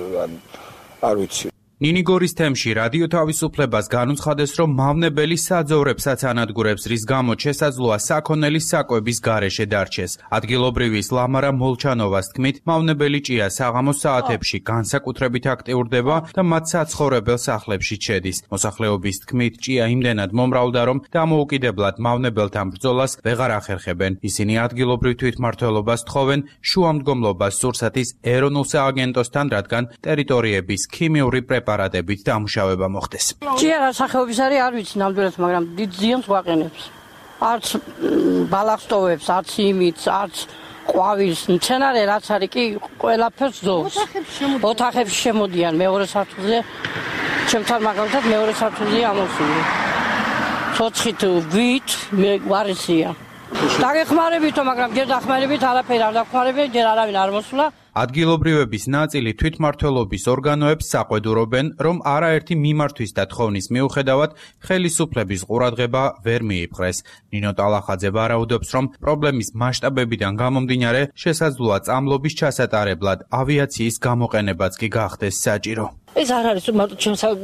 არ ვიცი. ნინიგორის თემში რადიო თავისუფლებას განუცხადეს, რომ მავნებელი საძოვრებსაც ანადგურებს, რის გამოც შესაძლოა საქონელი საკვების გარეშე დარჩეს. ადგილობრივის ლამარა მოლჩანოვას თქმით, მავნებელი ჭია საღამოს საათებში განსაკუთრებით აქტიურდება და მათ საცხოვრებელ სახლებში შედის. მოსახლეობის თქმით, ჭია იმდენად მომრავლდა, რომ დამოუკიდებლად მავნებელთან ბრძოლას ვეღარ ახერხებენ. ისინი ადგილობრივ თვითმმართველობას თხოვენ შუამდგომლობას სურსათის ეროვნულ სააგენტოსთან, რადგან ტერიტორიების ქიმიური პრეპარატებით დამუშავება მოხდეს. ჭია რა სახეობის არის არ ვიცი ნამდვილად, მაგრამ დიდ ზიანს გვაყენებს. არც ბალახს ტოვებს, არც იმით, არც ყვავილს, მცენარე რაც არის კი ყველაფერს ზოვს. ოთახებში შემოდიან მეორე სართულზე. ჩემთან მაგალითად მეორე სართულზე ამოსული. ცოცხით ვით მე ვარისია. დაგეხმარებითო, მაგრამ ჯერ დახმარებით არაფერი არ დახმარებენ, ჯერ არავინ არ მოსულა. ადგილობრივების ნაწილი თვითმმართველობის ორგანოებს საყვედურობენ, რომ არაერთი მიმართვის და თხოვნის მიუხედავად ხელისუფლების ყურადღება ვერ მიიპყრეს. ნინო ტალახაძე ვარაუდობს, რომ პრობლემის მასშტაბებიდან გამომდინარე შესაძლოა წამლობის ჩასატარებლად ავიაციის გამოყენებაც კი გახდეს საჭირო. ეს არ არის რომ მარტო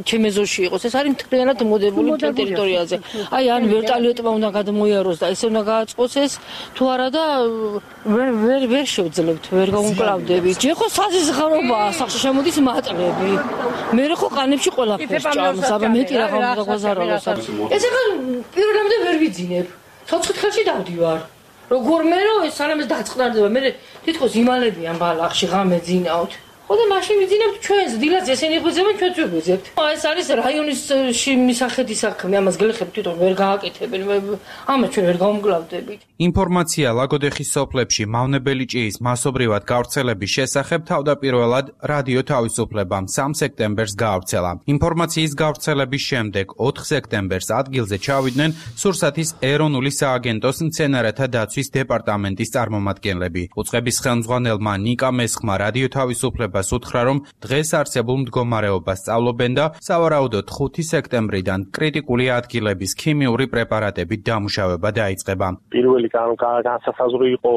ჩემ ეზოში იყოს, ეს არის მთლიანად მოდებული მთელ ტერიტორიაზე. აი ან ვერტალიოტმა უნდა გადმოიაროს და ესე უნდა გააწყოს ეს თუ არა და ვერ ვერ ვერ შევძლებთ, ვერ გავუმკლავდებით. ჯერ ხო საზღარობაა, სახში შემოდის მატლები. მე ხო ყანებში ყველაფერს ჭამს, აბა მეტი რა გავაზარალოს. ეს ახლა პირველამდე ვერ ვიძინებ. ცოცხლ ხელში დავდივარ. როგორ მე რომ ეს სანამ დაწყნარდება, მე თითქოს იმალებიან ბალახში ღამე ძინავთ. ხო და მაშინ ვიძინებთ ჩვენს დილას ესენი ხვიძებენ ჩვენც ვიღვიძებთ. ეს არის რაიონის მისახედი საქმე, ამას გლეხები თვითონ ვერ გააკეთებენ, ამას ჩვენ ვერ გავუმკლავდებით. ინფორმაცია ლაგოდეხის სოფლებში მავნებელი ჭიის მასობრივად გავრცელების შესახებ თავდაპირველად რადიო თავისუფლებამ სამ სექტემბერს გაავრცელა. ინფორმაციის გავრცელების შემდეგ ოთხ სექტემბერს ადგილზე ჩავიდნენ სურსათის ეროვნული სააგენტოს მცენარეთა დაცვის დეპარტამენტის წარმომადგენლები. უწყების ხელმძღვანელმა ნიკა მესხმა რადიო თავისუფლებას უთხრა, რომ დღეს არსებულ მდგომარეობას სწავლობენ და სავარაუდოდ ხუთი სექტემბრიდან კრიტიკული ადგილების ქიმიური პრეპარატებით დამუშავება დაიწყება. პირველი განსასაზღვრო იყო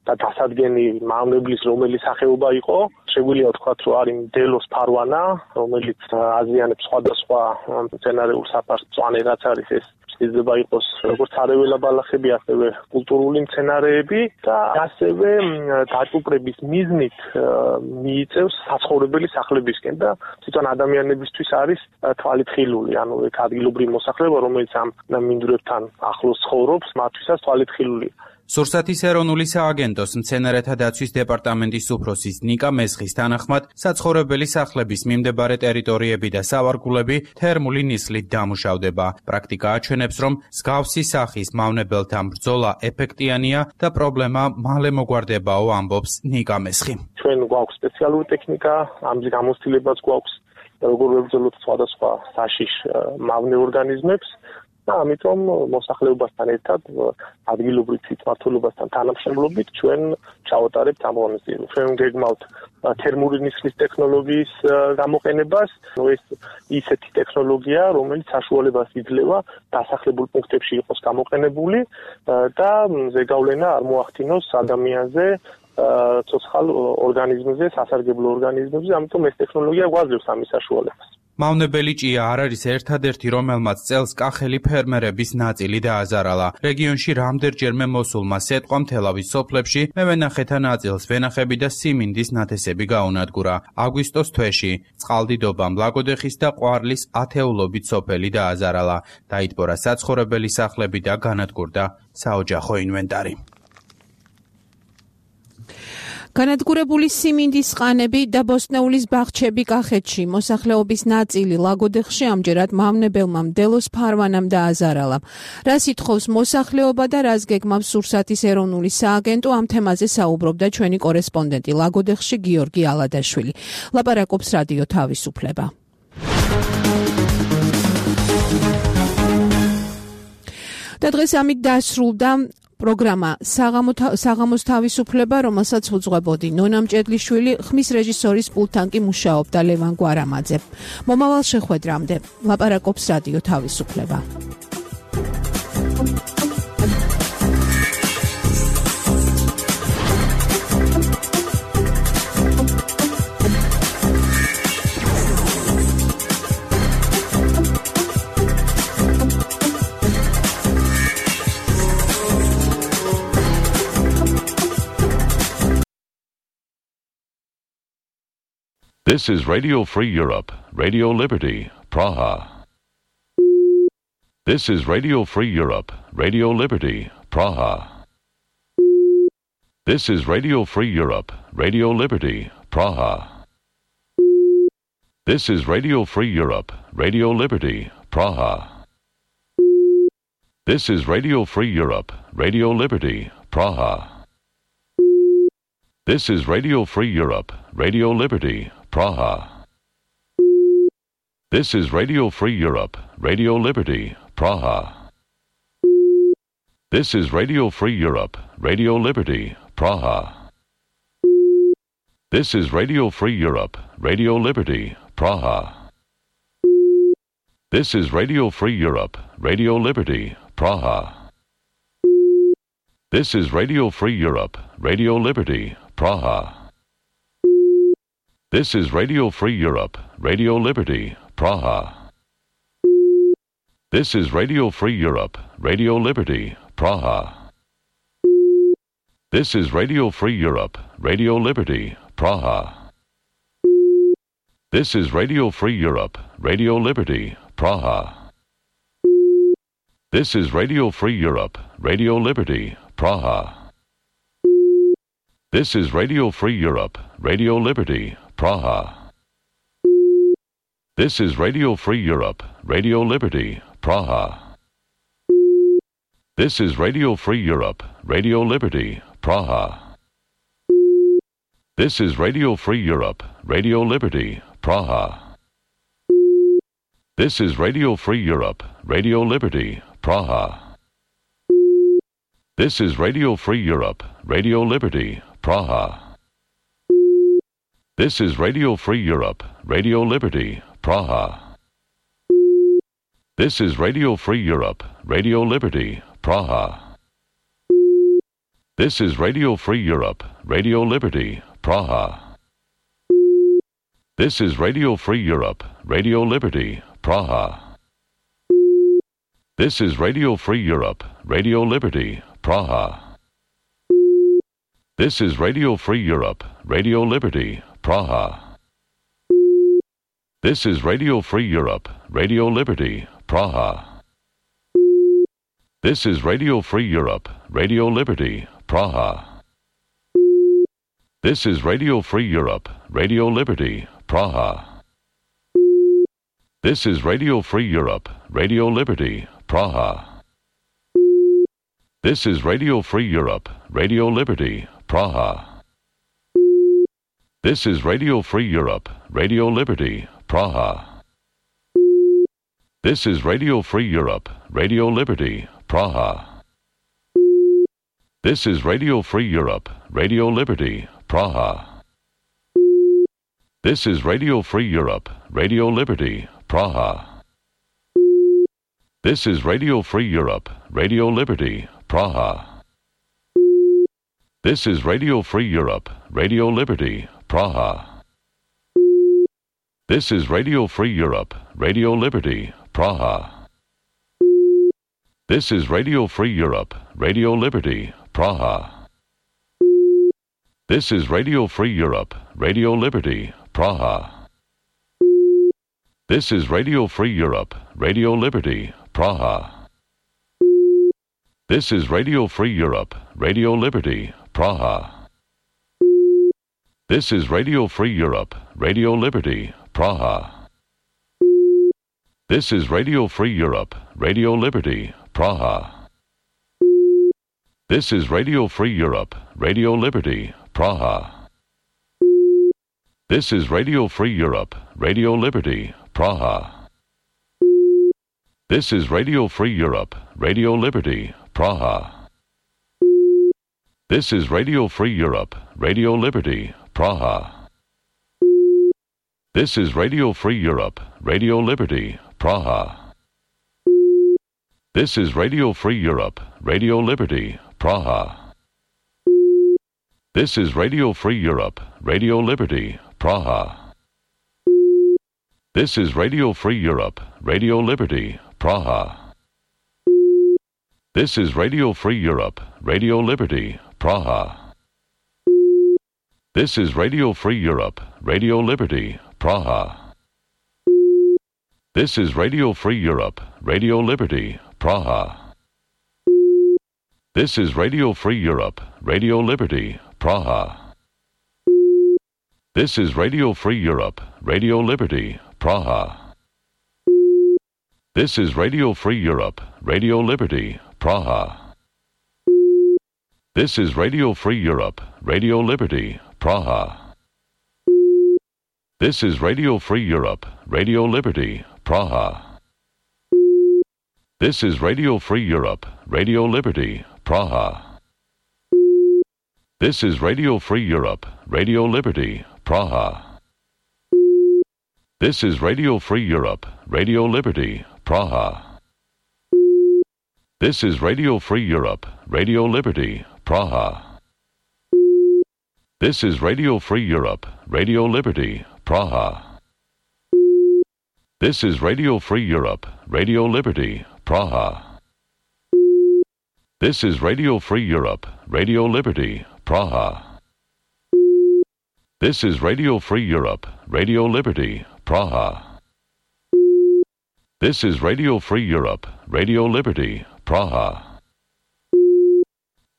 და დასადგენი მავნებლის რომელი სახეობა იყო. შეგვიძლია ვთქვათ, რომ არის დელოს ფარვანა, რომელიც აზიანებს სხვადასხვა მცენარეულ საფარს, მწვანე რაც არის ეს შეიძლება იყოს როგორც არეველა ბალახები, ასევე კულტურული მცენარეები და ასევე დაჭუპრების მიზნით მიიწევს საცხოვრებელი სახლებისკენ და თვითონ ადამიანებისთვის არის თვალით ხილული, ანუ ეგ ადგილობრივი მოსახლეობა, რომელიც ამ მინდვრებთან ახლოს ცხოვრობს, მათთვისაც თვალით ხილულია. სურსათის ეროვნული სააგენტოს მცენარეთა დაცვის დეპარტამენტის უფროსის ნიკა მესხის თანახმად საცხოვრებელი სახლების მიმდებარე ტერიტორიები და სავარგულები თერმული ნისლით დამუშავდება. პრაქტიკა აჩვენებს, რომ მსგავსი სახის მავნებელთან ბრძოლა ეფექტიანია და პრობლემა მალე მოგვარდებაო, ამბობს ნიკა მესხი. ჩვენ გვაქვს სპეციალური ტექნიკა, ამის გამოცდილებაც გვაქვს, როგორ ვებრძოლოთ სხვადასხვა საშიშ მავნე ორგანიზმებს. და ამიტომ მოსახლეობასთან ერთად ადგილობრივ თვითმმართველობასთან თანამშრომლობით ჩვენ ჩავატარებთ ამ ღონისძიებას. ჩვენ გეგმავთ თერმული ნისლის ტექნოლოგიის გამოყენებას, ეს ისეთი ტექნოლოგია, რომელიც საშუალებას იძლევა დასახლებულ პუნქტებში იყოს გამოყენებული და ზეგავლენა არ მოახდინოს ადამიანზე, ცოცხალ ორგანიზმზე, სასარგებლო ორგანიზმებზე, ამიტომ ეს ტექნოლოგია გვაძლევს ამის საშუალებას. მავნებელი ჭია არ არის ერთადერთი, რომელმაც წელს კახელი ფერმერების ნაწილი დააზარალა. რეგიონში რამდენჯერმე მოსულმა სეტყვა მთელავის სოფლებში მევენახეთა ნაწილს ვენახები და სიმინდის ნათესები გაუნადგურა. აგვისტოს თვეში წყალდიდობამ ლაგოდეხის და ყვარლის ათეულობით სოფელი დააზარალა. დაიტბორა საცხოვრებელი სახლები და განადგურდა საოჯახო ინვენტარი. განადგურებული სიმინდის ყანები და ბოსტნეულის ბაღჩები კახეთში. მოსახლეობის ნაწილი ლაგოდეხში ამჯერად მავნებელმა მდელოს ფარვანამ დააზარალა. რას ითხოვს მოსახლეობა და რას გეგმავს სურსათის ეროვნული სააგენტო, ამ თემაზე საუბრობდა ჩვენი კორესპონდენტი ლაგოდეხში გიორგი ალადაშვილი. ლაპარაკობს რადიო თავისუფლება. და დღეს ამით დასრულდა პროგრამა საღამოს თავისუფლება, რომელსაც უძღვებოდი ნონა მჭედლიშვილი, ხმის რეჟისორის პულტთან კი მუშაობდა ლევან გვარამაძე. მომავალ შეხვედრამდე ლაპარაკობს რადიო თავისუფლება. This is Radio Free Europe, Radio Liberty, Praha. This is Radio Free Europe, Radio Liberty, Praha. This is Radio Free Europe, Radio Liberty, Praha. This is Radio Free Europe, Radio Liberty, Praha. This is Radio Free Europe, Radio Liberty, Praha. This is Radio Free Europe, Radio Liberty, Praha. This is Radio Free Europe, Radio Liberty, Praha. This is Radio Free Europe, Radio Liberty, Praha. This is Radio Free Europe, Radio Liberty, Praha. This is Radio Free Europe, Radio Liberty, Praha. This is Radio Free Europe, Radio Liberty, Praha. This is Radio Free Europe, Radio Liberty, Praha. This is Radio Free Europe, Radio Liberty, Praha. This is Radio Free Europe, Radio Liberty, Praha. This is Radio Free Europe, Radio Liberty, Praha. This is Radio Free Europe, Radio Liberty, Praha. This is Radio Free Europe, Radio Liberty, Praha. This is Radio Free Europe, Radio Liberty, Praha. This is Radio Free Europe, Radio Liberty, Praha. This is Radio Free Europe, Radio Liberty, Praha. This is Radio Free Europe, Radio Liberty, Praha. This is Radio Free Europe, Radio Liberty, Praha. This is Radio Free Europe, Radio Liberty, Praha. This is Radio Free Europe, Radio Liberty, Praha. This is Radio Free Europe, Radio Liberty, Praha. This is Radio Free Europe, Radio Liberty, Praha. This is Radio Free Europe, Radio Liberty, Praha. This is Radio Free Europe, Radio Liberty, Praha. This is Radio Free Europe, Radio Liberty, Praha. This is Radio Free Europe, Radio Liberty, Praha. This is Radio Free Europe, Radio Liberty, Praha. This is Radio Free Europe, Radio Liberty, Praha. This is Radio Free Europe, Radio Liberty, Praha. This is Radio Free Europe, Radio Liberty, Praha. This is Radio Free Europe, Radio Liberty, Praha. This is Radio Free Europe, Radio Liberty, Praha. This is Radio Free Europe, Radio Liberty, Praha. This is Radio Free Europe, Radio Liberty, Praha. This is Radio Free Europe, Radio Liberty, Praha. This is Radio Free Europe, Radio Liberty, Praha. This is Radio Free Europe, Radio Liberty, Praha. This is Radio Free Europe, Radio Liberty, Praha. This is Radio Free Europe, Radio Liberty, Praha. This is Radio Free Europe, Radio Liberty, Praha. This is Radio Free Europe, Radio Liberty, Praha. This is Radio Free Europe, Radio Liberty, Praha. This is Radio Free Europe, Radio Liberty, Praha. This is Radio Free Europe, Radio Liberty, Praha. This is Radio Free Europe, Radio Liberty, Praha. This is Radio Free Europe, Radio Liberty, Praha. This is Radio Free Europe, Radio Liberty, Praha. This is Radio Free Europe, Radio Liberty, Praha. This is Radio Free Europe, Radio Liberty, Praha. This is Radio Free Europe, Radio Liberty, Praha. This is Radio Free Europe, Radio Liberty, Praha. This is Radio Free Europe, Radio Liberty, Praha. This is Radio Free Europe, Radio Liberty, Praha. This is Radio Free Europe, Radio Liberty, Praha. This is Radio Free Europe, Radio Liberty, Praha. This is Radio Free Europe, Radio Liberty, Praha. This is Radio Free Europe, Radio Liberty, Praha. This is Radio Free Europe, Radio Liberty, Praha. This is Radio Free Europe, Radio Liberty, Praha. This is Radio Free Europe, Radio Liberty, Praha. This is Radio Free Europe, Radio Liberty, Praha. This is Radio Free Europe, Radio Liberty, Praha. This is Radio Free Europe, Radio Liberty, Praha. This is Radio Free Europe, Radio Liberty, Praha. This is Radio Free Europe, Radio Liberty, Praha. This is Radio Free Europe, Radio Liberty, Praha. This is Radio Free Europe, Radio Liberty, Praha.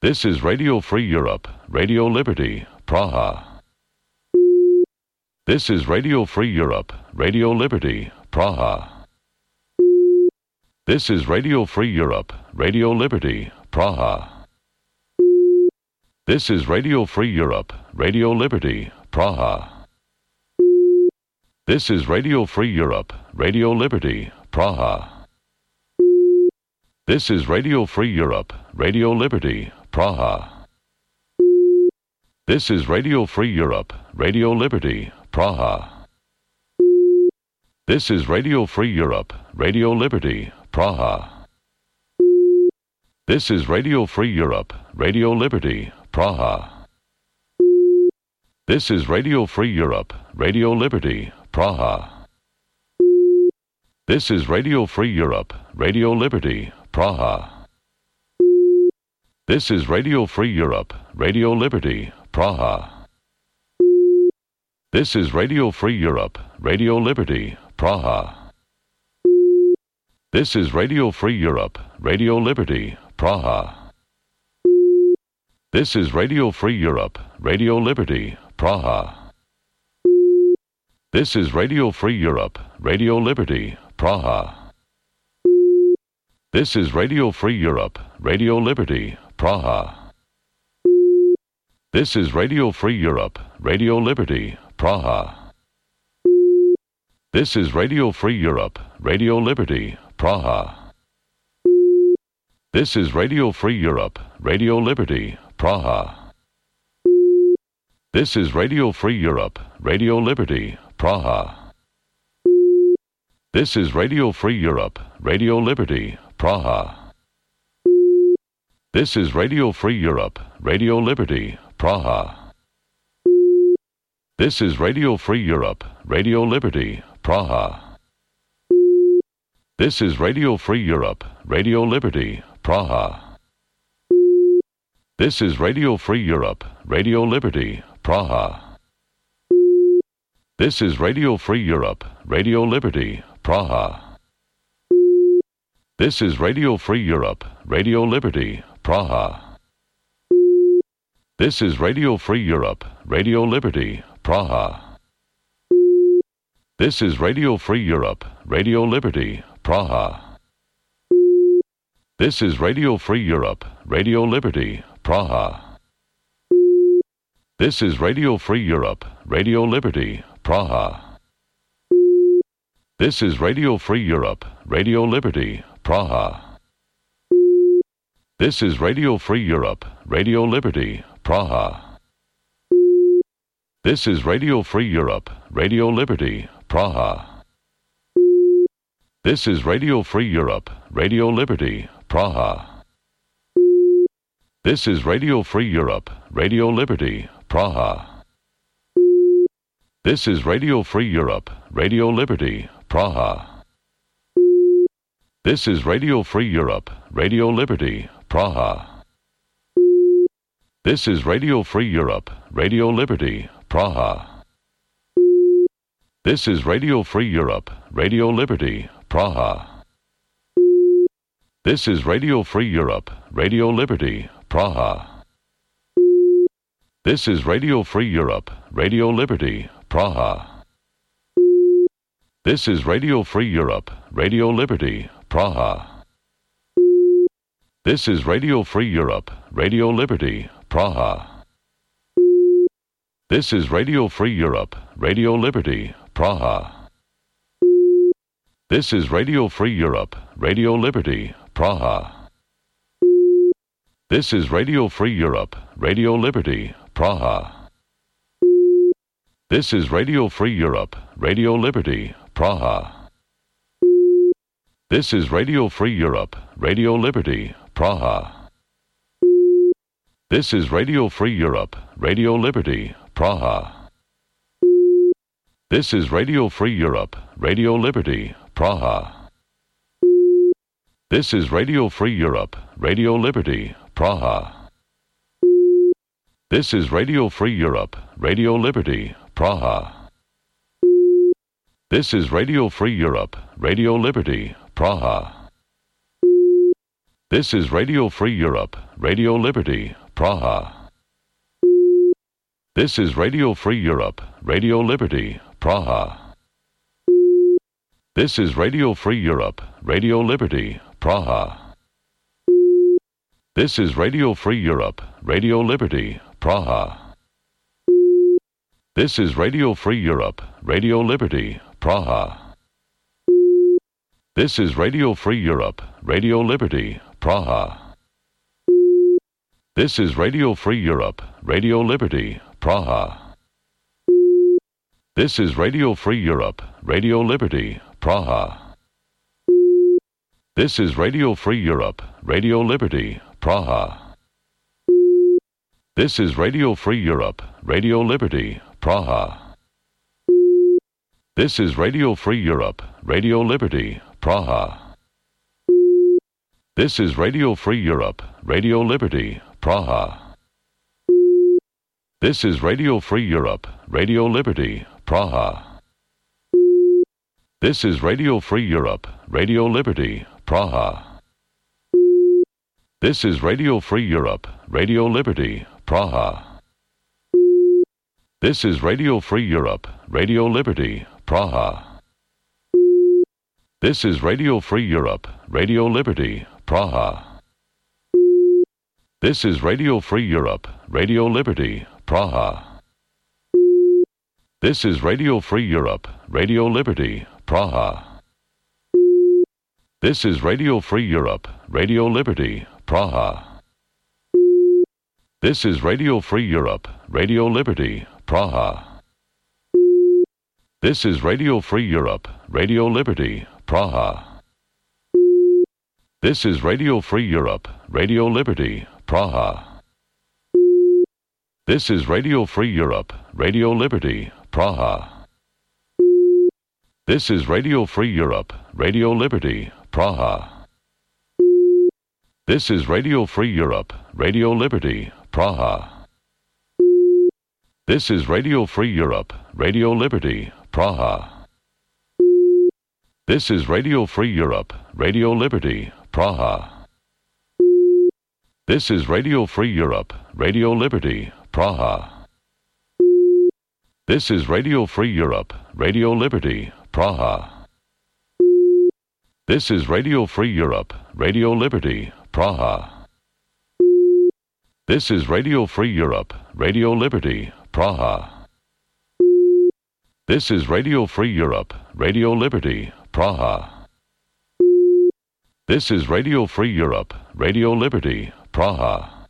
This is Radio Free Europe, Radio Liberty, Praha. This is Radio Free Europe, Radio Liberty, Praha. This is Radio Free Europe, Radio Liberty, Praha. This is Radio Free Europe, Radio Liberty, Praha. This is Radio Free Europe, Radio Liberty, Praha. This is Radio Free Europe, Radio Liberty, Praha. This is Radio Free Europe, Radio Liberty, Praha. This is Radio Free Europe, Radio Liberty, Praha. This is Radio Free Europe, Radio Liberty, Praha. This is Radio Free Europe, Radio Liberty, Praha. This is Radio Free Europe, Radio Liberty, Praha. This is Radio Free Europe, Radio Liberty, Praha. This is Radio Free Europe, Radio Liberty, Praha. This is Radio Free Europe, Radio Liberty, Praha. This is Radio Free Europe, Radio Liberty, Praha. This is Radio Free Europe, Radio Liberty, Praha. This is Radio Free Europe, Radio Liberty, Praha. This is Radio Free Europe, Radio Liberty, Praha. This is Radio Free Europe, Radio Liberty, Praha. This is Radio Free Europe, Radio Liberty, Praha. This is Radio Free Europe, Radio Liberty, Praha. This is Radio Free Europe, Radio Liberty, Praha. This is Radio Free Europe, Radio Liberty, Praha. This is Radio Free Europe, Radio Liberty, Praha. This is Radio Free Europe, Radio Liberty, Praha. This is Radio Free Europe, Radio Liberty, Praha. This is Radio Free Europe, Radio Liberty, Praha. This is Radio Free Europe, Radio Liberty, Praha. This is Radio Free Europe, Radio Liberty, Praha. This is Radio Free Europe, Radio Liberty, Praha. This is Radio Free Europe, Radio Liberty, Praha. This is Radio Free Europe, Radio Liberty, Praha. This is Radio Free Europe, Radio Liberty, Praha. This is Radio Free Europe, Radio Liberty, Praha. This is Radio Free Europe, Radio Liberty, Praha. This is Radio Free Europe, Radio Liberty, Praha. This is Radio Free Europe, Radio Liberty, Praha. This is Radio Free Europe, Radio Liberty, Praha. This is Radio Free Europe, Radio Liberty, Praha. This is Radio Free Europe, Radio Liberty, Praha. This is Radio Free Europe, Radio Liberty, Praha. This is Radio Free Europe, Radio Liberty, Praha. This is Radio Free Europe, Radio Liberty, Praha. This is Radio Free Europe, Radio Liberty, Praha. This is Radio Free Europe, Radio Liberty, Praha. This is Radio Free Europe, Radio Liberty, Praha. This is Radio Free Europe, Radio Liberty, Praha. This is Radio Free Europe, Radio Liberty, Praha. This is Radio Free Europe, Radio Liberty, Praha. This is Radio Free Europe, Radio Liberty, Praha. This is Radio Free Europe, Radio Liberty, Praha. This is Radio Free Europe, Radio Liberty, Praha. This is Radio Free Europe, Radio Liberty, Praha. This is Radio Free Europe, Radio Liberty, Praha. This is Radio Free Europe, Radio Liberty, Praha. This is Radio Free Europe, Radio Liberty, Praha. This is Radio Free Europe, Radio Liberty, Praha. This is Radio Free Europe, Radio Liberty, Praha. This is Radio Free Europe, Radio Liberty, Praha. This is Radio Free Europe, Radio Liberty, Praha. This is Radio Free Europe, Radio Liberty, Praha. This is Radio Free Europe, Radio Liberty, Praha. This is Radio Free Europe, Radio Liberty, Praha. This is Radio Free Europe, Radio Liberty, Praha. This is Radio Free Europe, Radio Liberty, Praha. This is Radio Free Europe, Radio Liberty, Praha. This is Radio Free Europe, Radio Liberty, Praha. This is Radio Free Europe, Radio Liberty, Praha. This is Radio Free Europe, Radio Liberty, Praha. This is Radio Free Europe, Radio Liberty, Praha. This is Radio Free Europe, Radio Liberty, Praha. This is Radio Free Europe, Radio Liberty, Praha. This is Radio Free Europe, Radio Liberty, Praha. This is Radio Free Europe, Radio Liberty, Praha. This is Radio Free Europe, Radio Liberty, Praha. This is Radio Free Europe, Radio Liberty, Praha. This is Radio Free Europe, Radio Liberty, Praha. This is Radio Free Europe, Radio Liberty, Praha. This is Radio Free Europe, Radio Liberty, Praha. This is Radio Free Europe, Radio Liberty, Praha. This is Radio Free Europe, Radio Liberty, Praha. This is Radio Free Europe, Radio Liberty, Praha. This is Radio Free Europe, Radio Liberty, Praha. This is Radio Free Europe, Radio Liberty, Praha. This is Radio Free Europe, Radio Liberty, Praha. This is Radio Free Europe, Radio Liberty, Praha. This is Radio Free Europe, Radio Liberty, Praha. This is Radio Free Europe, Radio Liberty, Praha. This is Radio Free Europe, Radio Liberty, Praha.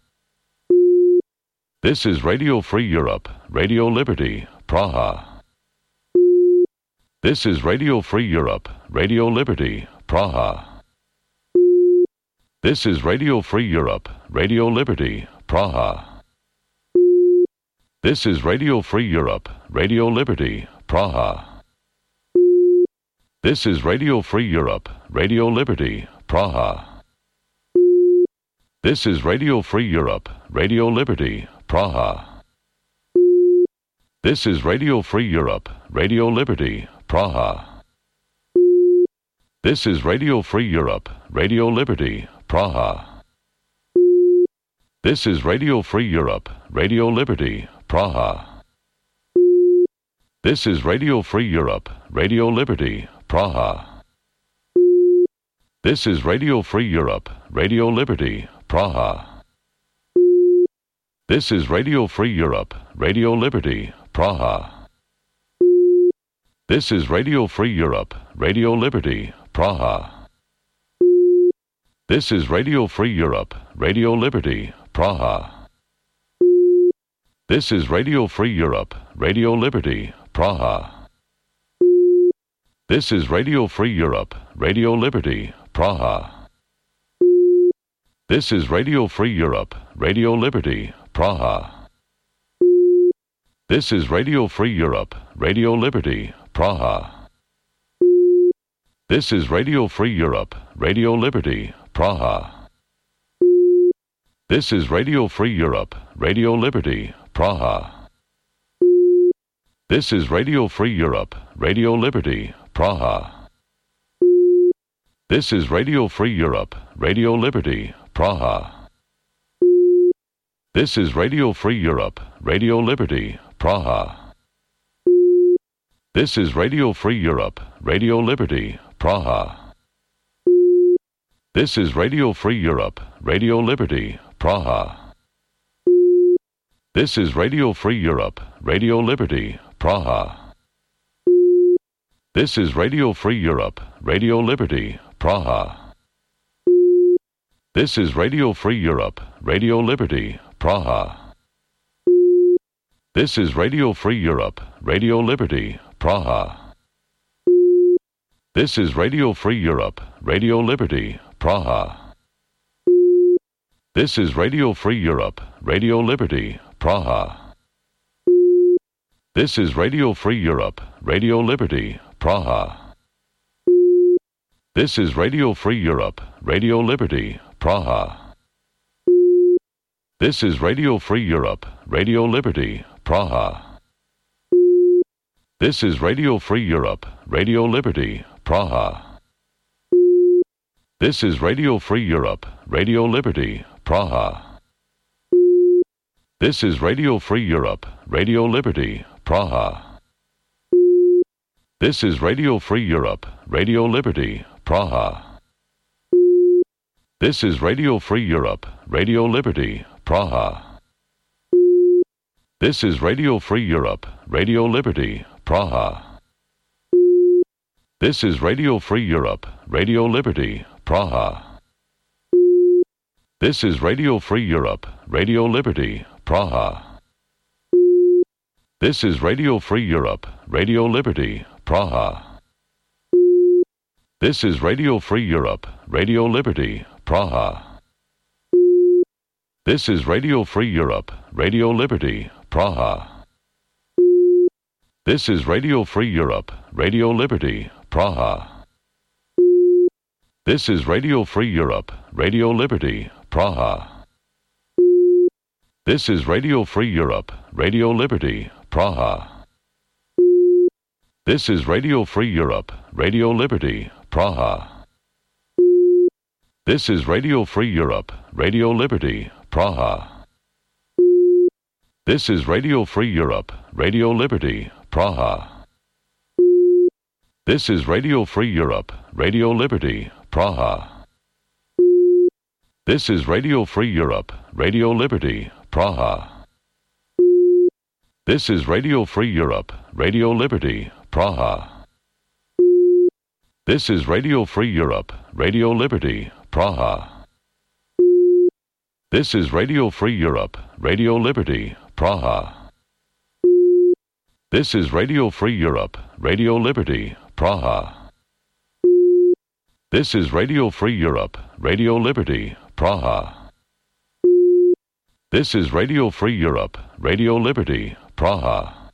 This is Radio Free Europe, Radio Liberty, Praha. This is Radio Free Europe, Radio Liberty, Praha. This is Radio Free Europe, Radio Liberty, Praha. This is Radio Free Europe, Radio Liberty, Praha. This is Radio Free Europe, Radio Liberty, Praha. This is Radio Free Europe, Radio Liberty, Praha. This is Radio Free Europe, Radio Liberty, Praha. This is Radio Free Europe, Radio Liberty, Praha. This is Radio Free Europe, Radio Liberty, Praha. This is Radio Free Europe, Radio Liberty, Praha. This is Radio Free Europe, Radio Liberty, Praha. This is Radio Free Europe, Radio Liberty, Praha. This is Radio Free Europe, Radio Liberty, Praha. This is Radio Free Europe, Radio Liberty, Praha. This is Radio Free Europe, Radio Liberty, Praha. This is Radio Free Europe, Radio Liberty, Praha. This is Radio Free Europe, Radio Liberty, Praha. This is Radio Free Europe, Radio Liberty, Praha. This is Radio Free Europe, Radio Liberty, Praha. This is Radio Free Europe, Radio Liberty, Praha. This is Radio Free Europe, Radio Liberty, Praha. This is Radio Free Europe, Radio Liberty, Praha. This is Radio Free Europe, Radio Liberty, Praha. This is Radio Free Europe, Radio Liberty, Praha. This is Radio Free Europe, Radio Liberty, Praha. This is Radio Free Europe, Radio Liberty, Praha. This is Radio Free Europe, Radio Liberty, Praha. This is Radio Free Europe, Radio Liberty, Praha. This is Radio Free Europe, Radio Liberty, Praha. This is Radio Free Europe, Radio Liberty, Praha. This is Radio Free Europe, Radio Liberty, Praha. This is Radio Free Europe, Radio Liberty, Praha. This is Radio Free Europe, Radio Liberty, Praha. This is Radio Free Europe, Radio Liberty, Praha. This is Radio Free Europe, Radio Liberty, Praha. This is Radio Free Europe, Radio Liberty, Praha. This is Radio Free Europe, Radio Liberty, Praha. This is Radio Free Europe, Radio Liberty, Praha. This is Radio Free Europe, Radio Liberty, Praha. This is Radio Free Europe, Radio Liberty, Praha. This is Radio Free Europe, Radio Liberty, Praha. This is Radio Free Europe, Radio Liberty, Praha. This is Radio Free Europe, Radio Liberty, Praha. This is Radio Free Europe, Radio Liberty, Praha. This is Radio Free Europe, Radio Liberty, Praha. This is Radio Free Europe, Radio Liberty, Praha. This is Radio Free Europe, Radio Liberty, Praha. This is Radio Free Europe, Radio Liberty, Praha. This is Radio Free Europe, Radio Liberty, Praha. This is Radio Free Europe, Radio Liberty, Praha. This is Radio Free Europe, Radio Liberty, Praha. This is Radio Free Europe, Radio Liberty, Praha. This is Radio Free Europe, Radio Liberty, Praha. This is Radio Free Europe, Radio Liberty, Praha. This is Radio Free Europe, Radio Liberty, Praha. This is Radio Free Europe, Radio Liberty, Praha. This is Radio Free Europe, Radio Liberty, Praha. This is Radio Free Europe, Radio Liberty, Praha. This is Radio Free Europe, Radio Liberty, Praha.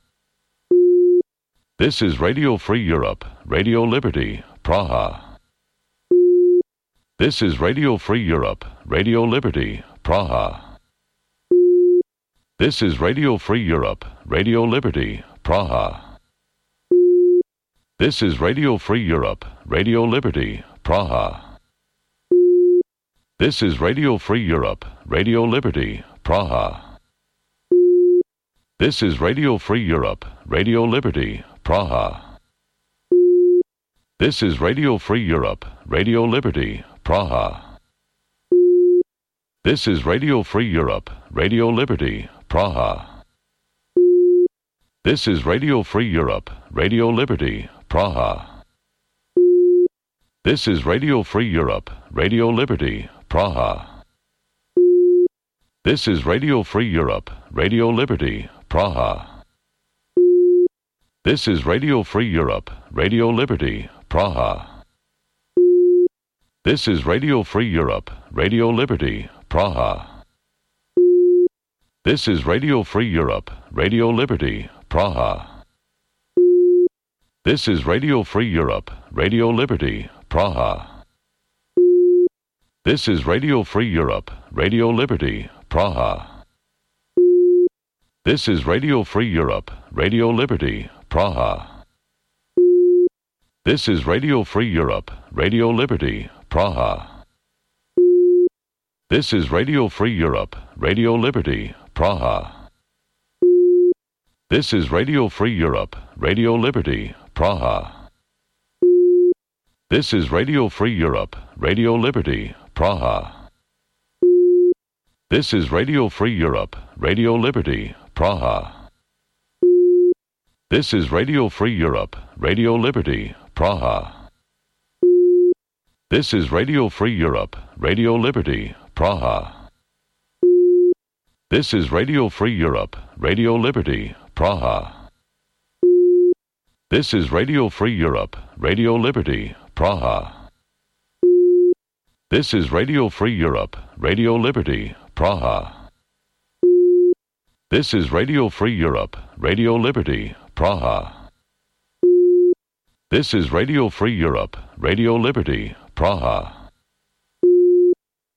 This is Radio Free Europe, Radio Liberty, Praha. This is Radio Free Europe, Radio Liberty, Praha. This is Radio Free Europe, Radio Liberty, Praha. This is Radio Free Europe, Radio Liberty, Praha. This is Radio Free Europe, Radio Liberty, Praha. This is Radio Free Europe, Radio Liberty, Praha. This is Radio Free Europe, Radio Liberty, Praha. This is Radio Free Europe, Radio Liberty, Praha. This is Radio Free Europe, Radio Liberty, Praha. This is Radio Free Europe, Radio Liberty, Praha. This is Radio Free Europe, Radio Liberty, Praha. This is Radio Free Europe, Radio Liberty, Praha. This is Radio Free Europe, Radio Liberty, Praha. This is Radio Free Europe, Radio Liberty, Praha. This is Radio Free Europe, Radio Liberty, Praha. This is Radio Free Europe, Radio Liberty, Praha. This is Radio Free Europe, Radio Liberty, Praha. This is Radio Free Europe, Radio Liberty, Praha. This is Radio Free Europe, Radio Liberty, Praha. This is Radio Free Europe, Radio Liberty, Praha. This is Radio Free Europe, Radio Liberty, Praha. This is Radio Free Europe, Radio Liberty, Praha. This is Radio Free Europe, Radio Liberty, Praha. This is Radio Free Europe, Radio Liberty, Praha. This is Radio Free Europe, Radio Liberty, Praha. This is Radio Free Europe, Radio Liberty, Praha. This is Radio Free Europe, Radio Liberty, Praha. This is Radio Free Europe, Radio Liberty, Praha. This is Radio Free Europe, Radio Liberty, Praha. This is Radio Free Europe, Radio Liberty, Praha.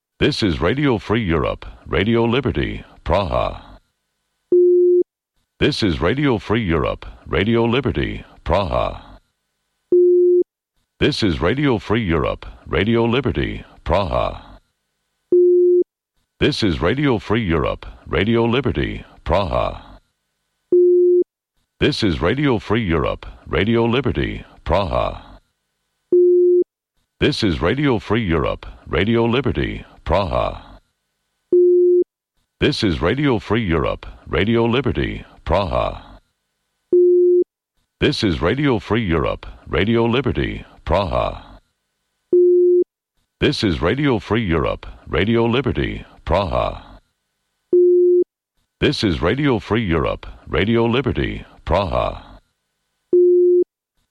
This is Radio Free Europe, Radio Liberty, Praha. This is Radio Free Europe, Radio Liberty, Praha. This is Radio Free Europe, Radio Liberty, Praha. This is Radio Free Europe, Radio Liberty, Praha. This is Radio Free Europe, Radio Liberty, Praha. This is Radio Free Europe, Radio Liberty, Praha. This is Radio Free Europe, Radio Liberty, Praha. This is Radio Free Europe, Radio Liberty, Praha. This is Radio Free Europe, Radio Liberty, Praha.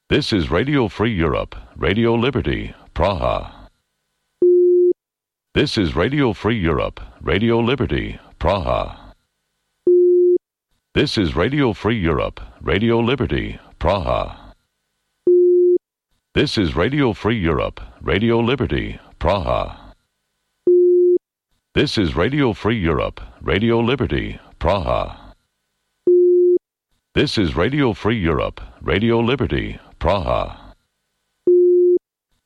This is Radio Free Europe, Radio Liberty, Praha. This is Radio Free Europe, Radio Liberty, Praha. This is Radio Free Europe, Radio Liberty, Praha. This is Radio Free Europe, Radio Liberty, Praha. This is Radio Free Europe, Radio Liberty, Praha. This is Radio Free Europe, Radio Liberty, Praha.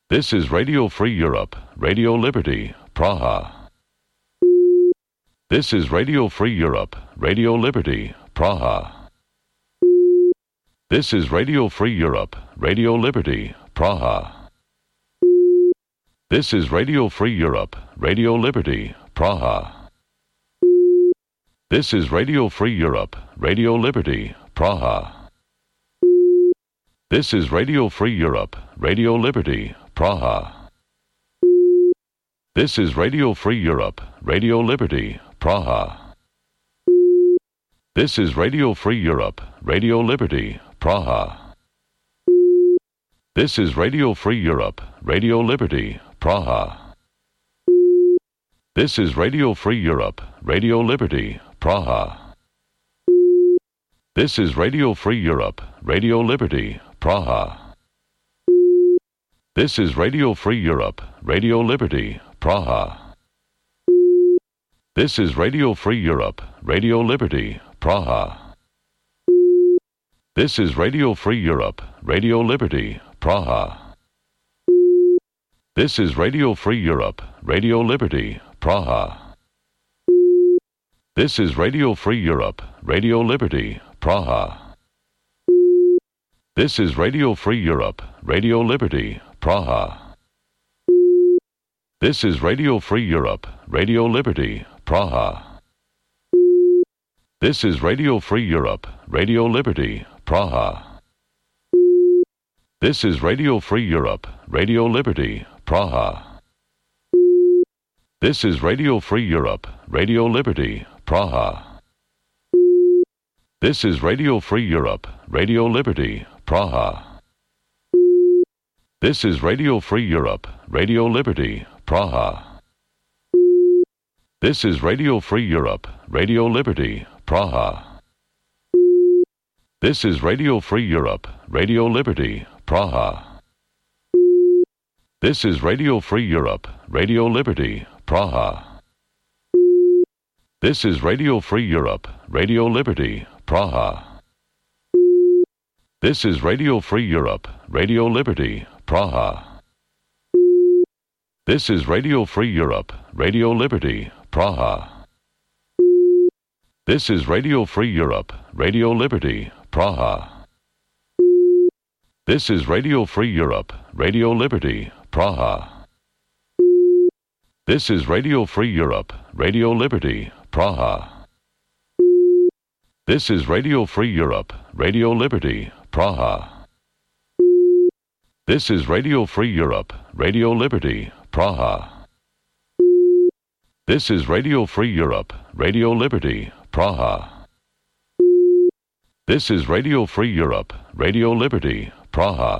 This is Radio Free Europe, Radio Liberty, Praha. This is Radio Free Europe, Radio Liberty, Praha. This is Radio Free Europe, Radio Liberty, Praha. This is Radio Free Europe, Radio Liberty, Praha. This is Radio Free Europe, Radio Liberty, Praha. This is Radio Free Europe, Radio Liberty, Praha. This is Radio Free Europe, Radio Liberty, Praha. This is Radio Free Europe, Radio Liberty, Praha. This is Radio Free Europe, Radio Liberty, Praha. This is Radio Free Europe, Radio Liberty, Praha. This is Radio Free Europe, Radio Liberty, Praha. This is Radio Free Europe, Radio Liberty, Praha. This is Radio Free Europe, Radio Liberty, Praha. This is Radio Free Europe, Radio Liberty, Praha. This is Radio Free Europe, Radio Liberty, Praha. This is Radio Free Europe, Radio Liberty, Praha. This is Radio Free Europe, Radio Liberty, Praha. This is Radio Free Europe, Radio Liberty, Praha. This is Radio Free Europe, Radio Liberty, Praha. This is Radio Free Europe, Radio Liberty, Praha. This is Radio Free Europe, Radio Liberty, Praha. This is Radio Free Europe, Radio Liberty, Praha. This is Radio Free Europe, Radio Liberty, Praha. This is Radio Free Europe, Radio Liberty, Praha. This is Radio Free Europe, Radio Liberty, Praha. This is Radio Free Europe, Radio Liberty, Praha. This is Radio Free Europe, Radio Liberty, Praha. This is Radio Free Europe, Radio Liberty, Praha. This is Radio Free Europe, Radio Liberty, Praha. This is Radio Free Europe, Radio Liberty, Praha. This is Radio Free Europe, Radio Liberty, Praha. This is Radio Free Europe, Radio Liberty, Praha. This is Radio Free Europe, Radio Liberty, Praha. This is Radio Free Europe, Radio Liberty, Praha. This is Radio Free Europe, Radio Liberty, Praha. This is Radio Free Europe, Radio Liberty, Praha.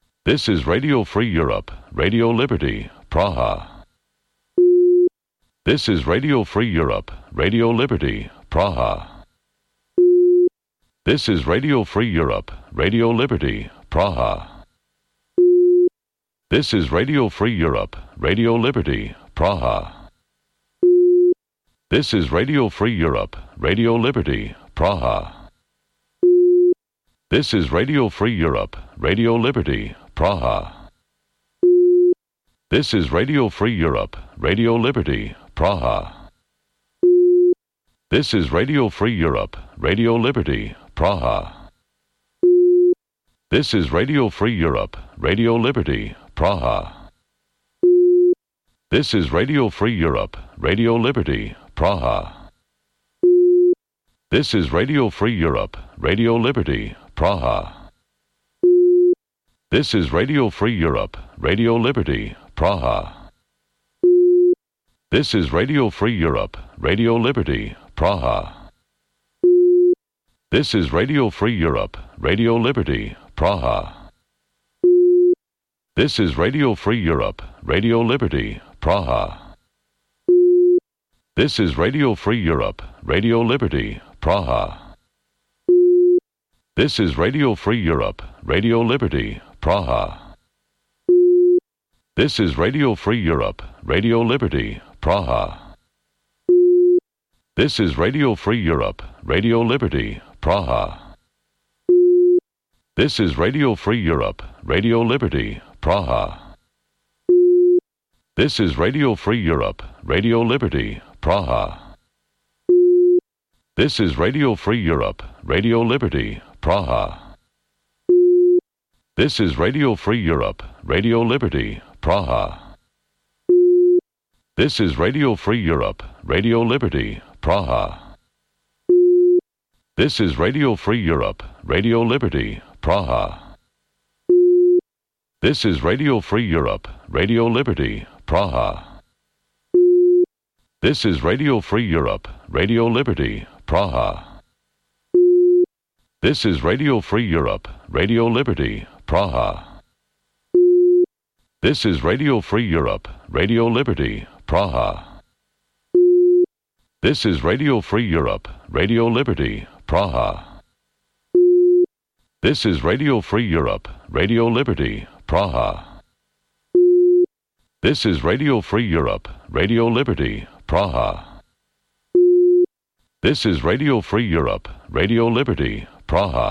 This is Radio Free Europe, Radio Liberty, Praha. This is Radio Free Europe, Radio Liberty, Praha. This is Radio Free Europe, Radio Liberty, Praha. This is Radio Free Europe, Radio Liberty, Praha. This is Radio Free Europe, Radio Liberty, Praha. This is Radio Free Europe, Radio Liberty, Praha. This is Radio Free Europe, Radio Liberty, Praha. This is Radio Free Europe, Radio Liberty, Praha. This is Radio Free Europe, Radio Liberty, Praha. This is Radio Free Europe, Radio Liberty, Praha. This is Radio Free Europe, Radio Liberty, Praha. This is Radio Free Europe, Radio Liberty, Praha. This is Radio Free Europe, Radio Liberty, Praha. This is Radio Free Europe, Radio Liberty, Praha. This is Radio Free Europe, Radio Liberty, Praha. This is Radio Free Europe, Radio Liberty, Praha. This is Radio Free Europe, Radio Liberty, Praha. This is Radio Free Europe, Radio Liberty, Praha. This is Radio Free Europe, Radio Liberty, Praha. This is Radio Free Europe, Radio Liberty, Praha. This is Radio Free Europe, Radio Liberty, Praha. This is Radio Free Europe, Radio Liberty, Praha. This is Radio Free Europe, Radio Liberty, Praha. This is Radio Free Europe, Radio Liberty, Praha. This is Radio Free Europe, Radio Liberty, Praha. This is Radio Free Europe, Radio Liberty, Praha. This is Radio Free Europe, Radio Liberty, Praha. This is Radio Free Europe, Radio Liberty, Praha. This is Radio Free Europe, Radio Liberty, Praha. This is Radio Free Europe, Radio Liberty, Praha. This is Radio Free Europe, Radio Liberty, Praha. This is Radio Free Europe, Radio Liberty, Praha. This is Radio Free Europe, Radio Liberty, Praha.